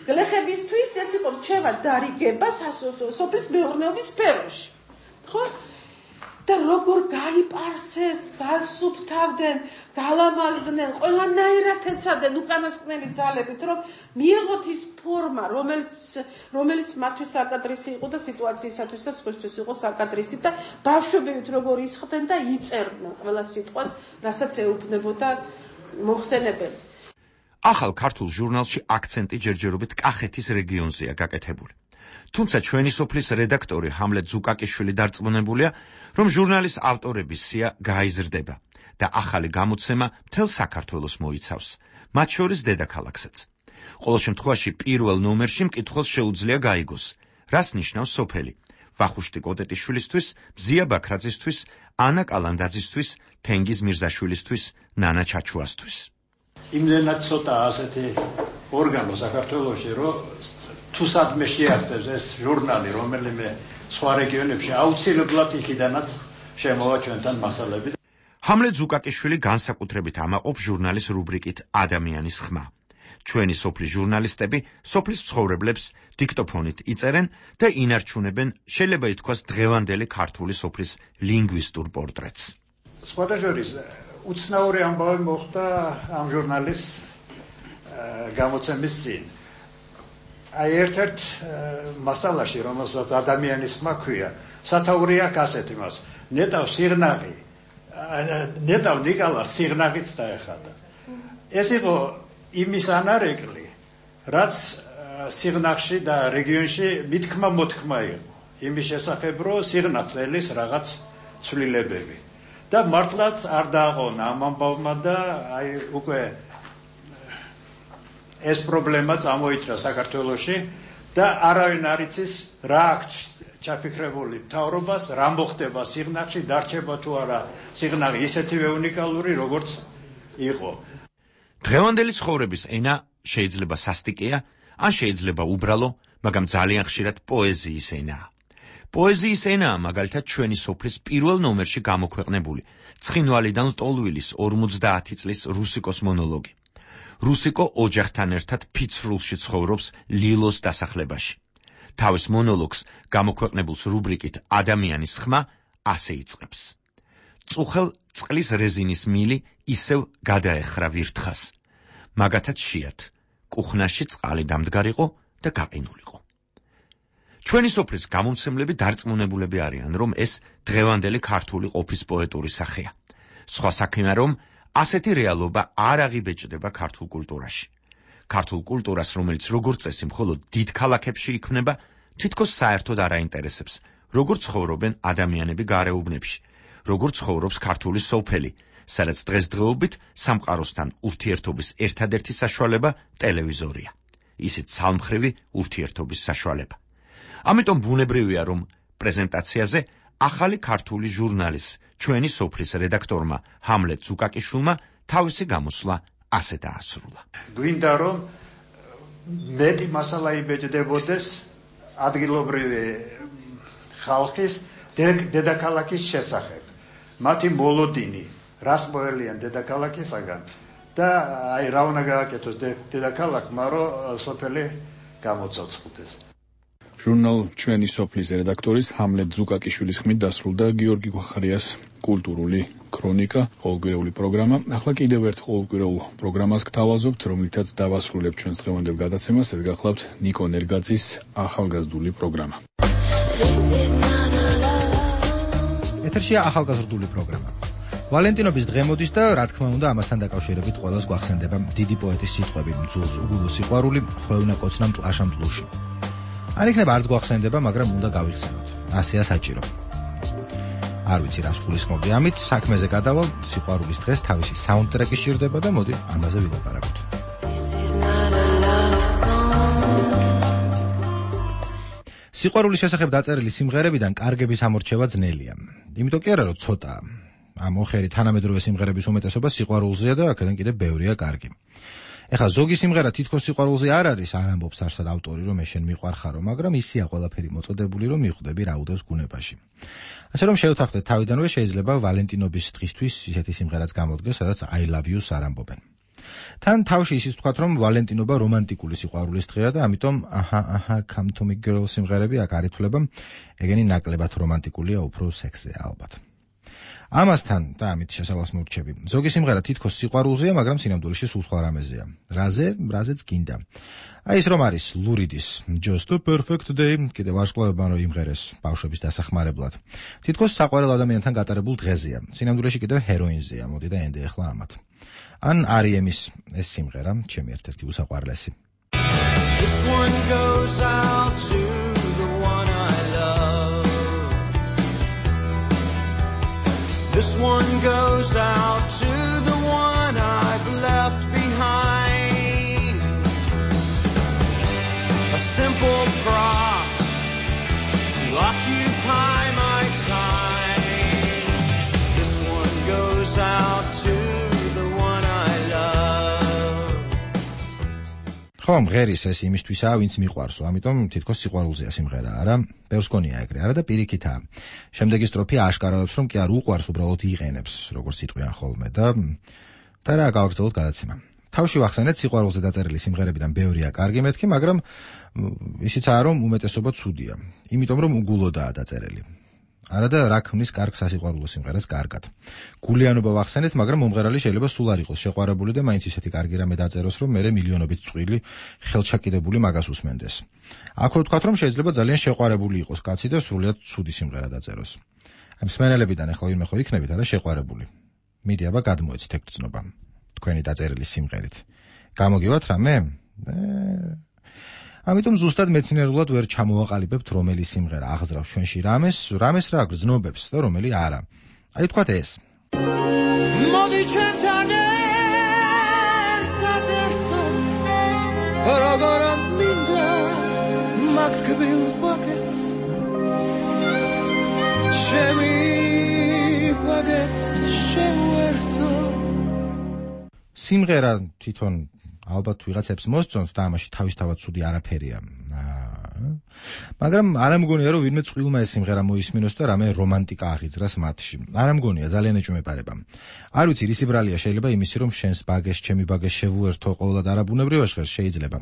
გლეხებისთვის ეს იყო რჩევა დარიგება სოფლის მეურნეობის სფეროში. ხო? და როგორ გაიპარსეს, გასუფთავდნენ, გალამაზდნენ, ყველანაირად ეცადნენ უკანასკნელი ძალებით, რომ მიიღოთ ის ფორმა, რომელიც მათთვის საკადრისი იყო და სიტუაციისათვის და სხვისთვის იყო საკადრისი და ბავშვებივით როგორ ისხდნენ და იწერდნენ ყველა სიტყვას, რასაც ეუბნებოდა მოხსენებელი. ახალ ქართულ ჟურნალში აქცენტი ჯერჯერობით კახეთის რეგიონზეა გაკეთებული. თუმცა ჩვენი სოფლის რედაქტორი ჰამლეტ ზუკაკიშვილი დარწმუნებულია, რომ ჟურნალის ავტორების სია გაიზრდება და ახალი გამოცემა მთელ საქართველოს მოიცავს, მათ შორის დედაქალაქსაც. ყოველ შემთხვევაში პირველ ნომერში მკითხველს შეუძლია გაიგოს, რას ნიშნავს სოფელი, ვახუშტი კოტეტიშვილისთვის, მზია ბაქრაძისთვის, ანა კალანდაძისთვის, თენგიზ მირზაშვილისთვის, ნანა ჩაჩუასთვის. იმდენად ცოტა ასეთი ორგანო საქართველოში, რომ თუ სადმე შეასწევს ეს ჟურნალი, რომელიმე სხვა რეგიონებში აუცილებლად იქიდანაც შემოვა ჩვენთან მასალები. ჰამლეტ ზუკაკიშვილი განსაკუთრებით ამაყობს ჟურნალის რუბრიკით ადამიანის ხმა. ჩვენი სოფლის ჟურნალისტები სოფლის ცხოვრებლებს დიქტოფონით იწერენ და ინარჩუნებენ, შეიძლება ითქვას, დღევანდელი ქართული სოფლის ლინგვისტურ პორტრეტს. სხვათა შორის უცნაური ამბავი მოხდა ამ ჟურნალის გამოცემის წინ. ერთ მასალაში, რომელსაც ადამიანის ხმა ქვია, სათაური აქვს ასეთ იმას, ნეტავ ნიკალას სიღნაღიც დაეხადა. ეს იყო იმის ანარეკლი, რაც სიღნაღში და რეგიონში მითქმა მოთქმა იყო. იმის შესახებ, რომ სიღნაღს ელის რაღაც ცვლილებები. და მართლაც არ დააყონა ამ ამბავმა და აი უკვე ეს პრობლემა წამოიჭრა საქართველოში და არავინ არ იცის რა აქვს ჩაფიქრებული მთავრობას, რა მოხდება სიღნაღში, დარჩება თუ არა სიღნაღი ისეთივე უნიკალური, როგორც იყო. დღევანდელი ცხოვრების ენა შეიძლება სასტიკია, ან შეიძლება უბრალო, მაგრამ ძალიან ხშირად პოეზიის ენაა. პოეზიის ენაა მაგალითად ჩვენი სოფლის პირველ ნომერში გამოქვეყნებული ცხინვალიდან ლტოლვილის 50 წლის რუსიკოს მონოლოგი. რუსიკო ოჯახთან ერთად ფიცრულში ცხოვრობს ლილოს დასახლებაში. თავის მონოლოგს გამოქვეყნებულს რუბრიკით ადამიანის ხმა ასე იწყებს. წუხელ წყლის რეზინის მილი ისევ გადაეხრა ვირთხას. მაგათაც შეათ, კუხნაში წყალი დამდგარიყო და გაყინულიყო. ჩვენი სოფლის გამომცემლები დარწმუნებულები არიან, რომ ეს დღევანდელი ქართული ყოფის პოეტური სახეა. სხვა საქმეა, რომ ასეთი რეალობა არ აღიბეჭდება ქართულ კულტურაში. ქართულ კულტურას, რომელიც როგორც წესი მხოლოდ დიდ ქალაქებში იქმნება, თითქოს საერთოდ არ აინტერესებს, როგორ ცხოვრობენ ადამიანები გარეუბნებში, როგორ ცხოვრობს ქართული სოფელი, სადაც დღესდღეობით სამყაროსთან ურთიერთობის ერთადერთი საშუალება ტელევიზორია. ისიც ცალმხრივი ურთიერთობის საშუალება. ამიტომ ბუნებრივია, რომ პრეზენტაციაზე ახალი ქართული ჟურნალის ჩვენი სოფლის რედაქტორმა ჰამლეტ ზუკაკიშვილმა თავისი გამოსვლა ასე დაასრულა. გვინდა რომ მეტი მასალა იბეჭდებოდეს ადგილობრივი ხალხის დედაქალაქის შესახებ. მათი მოლოდინი, რას მოელიან დედაქალაქისაგან და აი რა უნდა გააკეთოს დედაქალაქმა, რომ სოფელი გამოცოცხლდეს. ჟურნალ ჩვენი სოფლის რედაქტორის ჰამლეტ ზუკაკიშვილის ხმით დასრულდა გიორგი გვახარიას კულტურული ქრონიკა, ყოველკვირეული პროგრამა. ახლა კიდევ ერთ ყოველკვირეულ პროგრამას გთავაზობთ, რომლითაც დავასრულებთ ჩვენს დღევანდელ გადაცემას. ეს გახლავთ ნიკო ნერგაძის ახალგაზრდული პროგრამა. ეთერშია ახალგაზრდული პროგრამა. ვალენტინობის დღე მოდის და რა თქმა უნდა ამასთან დაკავშირებით ყველას გვახსენდება დიდი პოეტის სიტყვები: მძულს უგულო სიყვარული, ხვევნა კოცნა მტყაშა მდლუში. არ იქნება არც გვახსენდება, მაგრამ უნდა გავიხსენოთ. ასეა საჭირო. არ ვიცი რას გულისხმობდი ამით, საქმეზე გადავალ, სიყვარულის დღეს თავისი საუნდტრეკი სჭირდება და მოდი ამაზე ვილაპარაკოთ. სიყვარულის შესახებ დაწერილი სიმღერებიდან კარგების ამორჩევა ძნელია. იმიტომ კი არა, რომ ცოტაა. ამ ოხერი თანამედროვე სიმღერების უმეტესობა სიყვარულზეა და აქედან კიდევ ბევრია კარგი. ეხლა ზოგი სიმღერა თითქოს სიყვარულზე არ არის, არ ამბობს არსად ავტორი, რომ მე შენ მიყვარხარო, მაგრამ ისია ყველაფერი მოწოდებული, რომ მიხვდები რა უდევს ბუნებაში. ასე რომ შევთანხმდეთ თავიდანვე შეიძლება ვალენტინობის დღისთვის ისეთი სიმღერაც გამოდგეს, სადაც I love you-ს არ ამბობენ. თან თავში ისიც ვთქვათ, რომ ვალენტინობა რომანტიკული სიყვარულის დღეა და ამიტომ აჰა come to me girl სიმღერები აქ არ ითვლება, ეგენი ნაკლებად რომანტიკულია, უფრო სექსია ალბათ. ამასთან და ამით შესავალს მოვრჩები. ზოგი სიმღერა თითქოს სიყვარულზეა, მაგრამ სინამდვილეში სულ სხვა რამეზეა. რაზეც გინდა. აი ის რომ არის ლურიდის Just a perfect day, კიდევ ვარსკვლავებმა რომ იმღერეს ბავშვების დასახმარებლად. თითქოს საყვარელ ადამიანთან გატარებულ დღეზეა. სინამდვილეში კიდევ ჰეროინზეა, მოდი და ენდე ახლა ამათ. ან R.E.M-ის ეს სიმღერა, ჩემი ერთ-ერთი უსაყვარლესი. This one goes out to the one I love. This one goes out to the one I've left behind. A simple prop to occupy my time. This one goes out to the one I love. ხომ ღერის ეს იმისთვისაა, ვინც მიყვარსო, ამიტომ თითქოს სიყვარულზეა სიმღერა, არა? ბევრს გონია ეგრე, არა და პირიქითაა. შემდეგი სტროფი აშკარავებს, რომ კი არ უყვარს, უბრალოდ იყენებს, როგორც სიტყვიან ხოლმე და რა გავაგრძელოთ გადაცემა. თავში ვახსენეთ სიყვარულზე დაწერილი სიმღერებიდან ბევრია კარგი მეთქი, მაგრამ ისიცაა, რომ უმეტესობა ცუდია. იმიტომ რომ უგულოდაა დაწერილი. არა და რა ქმნის კარგ სასიყვარულო სიმღერას კარგად. გულიანობა ვახსენეთ, მაგრამ მომღერალი შეიძლება სულ არ იყოს შეყვარებული და მაინც ისეთი კარგი რამე დაწეროს, რომ მერე მილიონობით წვილი ხელჩაკიდებული მაგას უსმენდეს. აქვე ვთქვათ, რომ შეიძლება ძალიან შეყვარებული იყოს კაცი და სრულიად ცუდი სიმღერა დაწეროს. ამ მსმენელებიდან ახლა ვინმე ხო იქნებით არა შეყვარებული. მიდი აბა გადმოეცით ეგ გრძნობა თქვენი დაწერილი სიმღერით. გამოგივათ რამე? ამიტომ ზუსტად მეცნიერულად ვერ ჩამოვაყალიბებთ რომელი სიმღერა აღძრავს ჩვენში რამეს რა გრძნობებს და რომელი არა. აი თქვათ ეს. მოდი ჩემთან ერთადერთო როგორ მინდა მაგ თკბილ ბაგეთს ჩემი ბაგეთს შევერთო სიმღერა თვითონ ალბათ ვიღაცებს მოსწონს და ამაში თავისთავად ცუდი არაფერია. მაგრამ არ ამგონია რომ ვინმე წყვილმა ეს სიმღერა მოისმინოს და რამე რომანტიკა აღიძრას მათში. არ ამგონია ძალიან ეჭვმეპარება. არ ვიცი რისი ბრალია შეიძლება იმისი რომ შენს ბაგეს ჩემი ბაგეს შევუერთო ყოველად არაბუნებრივ ჟღერს შეიძლება.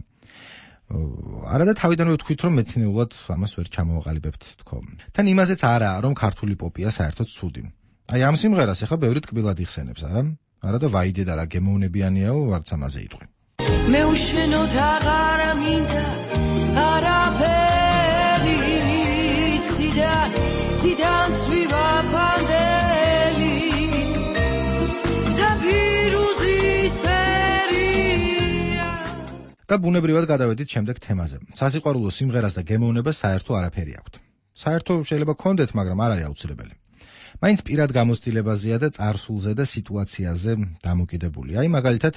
არადა თავიდანვე ვთქვით რომ მეცნიერულად ამას ვერ ჩამოვაყალიბებთ თქო. თან იმაზეც არაა რომ ქართული პოპია საერთოდ ცუდი. აი ამ სიმღერას ახლა ბევრი ტკბილად იხსენებს, არა? არადა ვაიდე და რა გემოვნებიანიაო ვარც ამაზე იტყვი. მე უშენოდ აღარ მინდა არაფერი ციდან ცვივა პანდელი ზაფირუზის ფერია და ბუნებრივად გადავედით შემდეგ თემაზე. სასიყვარულო სიმღერას და გემოვნებას საერთო არაფერი აქვთ. საერთო შეიძლება გქონდეთ, მაგრამ არ არის აუცილებელი. მაინც პირად გამოცდილებაზეა და წარსულზე და სიტუაციაზე დამოკიდებული. აი მაგალითად,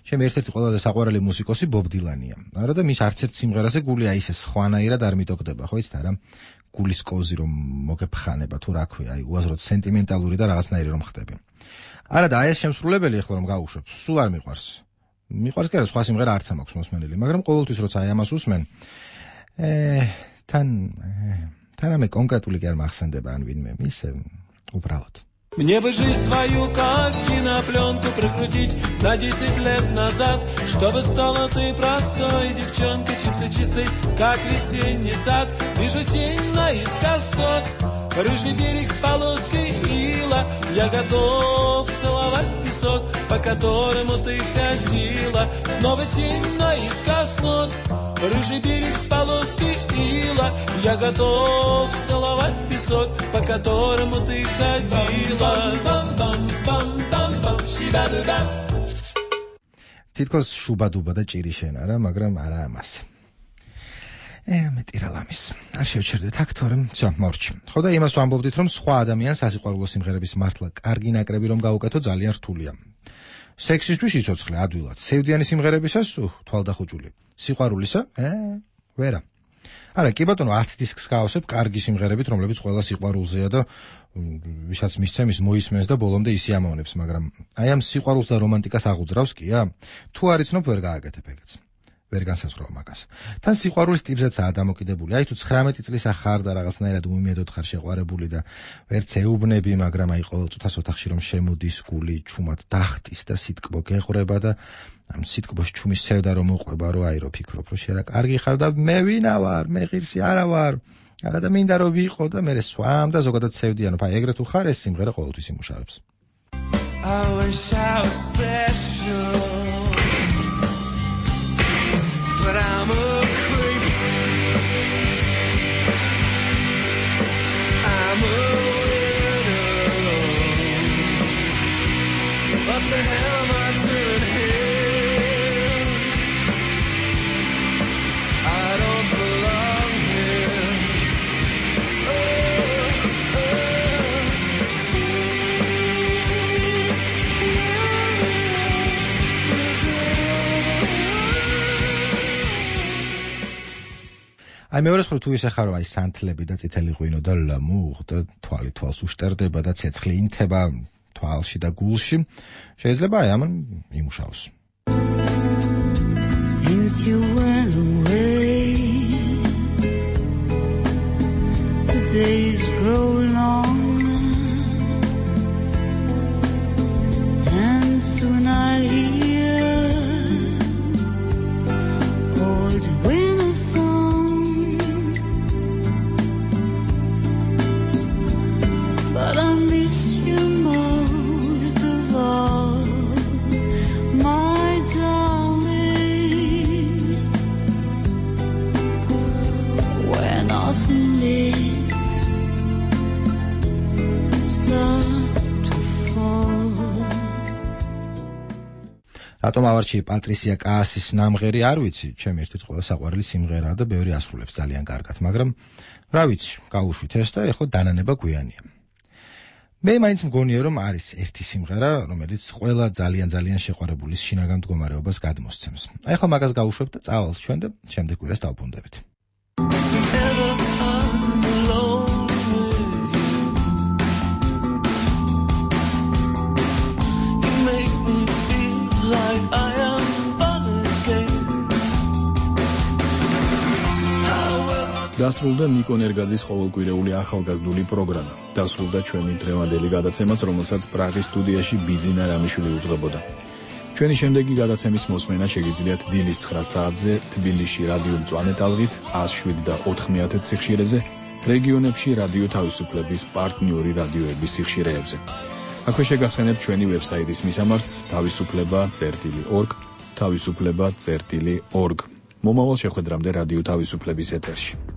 ჩემი ერთ-ერთი ყველაზე საყვარელი მუსიკოსი ბობ დილანია. არა და მის არც ერთ სიმღერაზე გული აი ესე სხვანაირად არ მიტოქდება, ხო იცით არა? გულის კოზი რომ მოგეფხანება თუ რა ქვია, აი უაზროდ სენტიმენტალური და რაღაცნაირი რომ ხდები. არა და აი ეს შემსრულებელი ახლა რომ გავუშვებ, სულ არ მიყვარს. მიყვარს კი არა, სხვა სიმღერა არც მაქვს მოსმენილი, მაგრამ ყოველთვის როცა აი ამას უსმენ, თან ამე კონკრეტული კი არ მახსენდება ან ვინმე ისე управлять. Мне бы жизнь свою как кинопленку прикрутить на 10 лет назад, чтобы стала ты простой девчонкой, чистой-чистой, как весенний сад. Вижу тень наискосок, рыжий берег с полоской ила. Я готов целовать песок, по которому ты ходила. Снова тень наискосок, рыжий берег с полоской ила. Я готов целовать песок, по которому ты ходила. თითქოს შუბადუბა და ჭირი შენ არა, მაგრამ არა ამას. მეტი რა ლამის. არ შევჩერდეთ აქ თორემ всё, მორჩი. ხო და იმას ვამბობდით რომ სხვა ადამიანს სასიყვარულო სიმღერების მართლა კარგი ნაკრები რომ გაუკეთო ძალიან რთულია. სექსისთვის იცოცხლე ადვილად. სევდიანი სიმღერებისას თვალდახუჭული. სიყვარულისა? ვერა. არა, კი ბატონო 10 დისკს გავავსებ კარგი სიმღერებით, რომლებიც ყველა სიყვარულზეა და ვისაც მისცემის მოისმენს და ბოლომდე ისიამოვნებს, მაგრამ აი ამ სიყვარულს და რომანტიკას აღუძრავს კია? თუ არ იცნობ, ვერ გააკეთებ ეგეც. ვერ განსაზღვრავ მაგას. თან სიყვარულის ტიპზეცაა დამოკიდებული. აი თუ 19 წლის ახარ და რაღაცნაირად უმიმედოდ ხარ შეყვარებული და ვერც ეუბნები, მაგრამ აი ყოველ წუთას ოთახში რომ შემოდის გული, ჩუმად დახტის და სიტკბო გეღვრება და ამ სიტკბოს ჩუმის სევდა რომ მოყვება, რომ აი რო ფიქრობ, რომ შენ რა კარგი ხარ და მე ვინა ვარ, მე ღირსი არა ვარ. არა და მინდა რომ ვიყო და მე სვამ და ზოგადად სევდიანობ. აი ეგრე თუ ხარ, ეს სიმღერა ყოველთვის იმუშავებს. I wish I was special, but I'm a creep. I'm a widow. What the hell am I doing here? I don't belong here. აი მეორე მხრივ თუ ისე ხარ აი სანთლები და წითელი ღვინო და ლამუღ და თვალი თვალს უშტერდება და ცეცხლი ინთება თვალში და გულში შეიძლება აი ამან იმუშაოს. Since you went away, the days grow longer, and soon I'll hear old winter song, but I miss you most of all, my darling. When autumn leaves start to fall. რატომ ავარჩიე პატრისია კაასის ნამღერი არ ვიცი, ჩემი ერთ-ერთი ყველა საყვარელი სიმღერაა და ბევრი ასრულებს ძალიან კარგად, მაგრამ რა ვიცი, გავუშვით ეს და ეხლა დანანება გვიანია. მე მაინც მგონია რომ არის ერთი სიმღერა, რომელიც ყველა ძალიან შეყვარებულის შინაგან მდგომარეობას გადმოსცემს. აი ახლა მაგას გავუშვებთ და წავალთ ჩვენ და შემდეგ კვირას დავბრუნდებით. დასრულდა ნიკო ნერგაძის ყოველკვირეული ახალგაზრდული პროგრამა. დასრულდა ჩვენი დღევანდელი გადაცემაც, რომელსაც პრაღის სტუდიაში ბიძინა რამიშვილი უძღვებოდა. ჩვენი შემდეგი გადაცემის მოსმენა შეგიძლიათ დილის 9 საათზე თბილისში რადიო მწვანე ტალღით 107 და 90 სიხშირეზე, რეგიონებში რადიო თავისუფლების პარტნიორი რადიოების სიხშირეებზე. აქვე შეგახსენებთ ჩვენი ვებსაიტის მისამართს თავისუფლება.org, თავისუფლება.org. მომავალ შეხვედრამდე რადიო თავისუფლების ეთერში.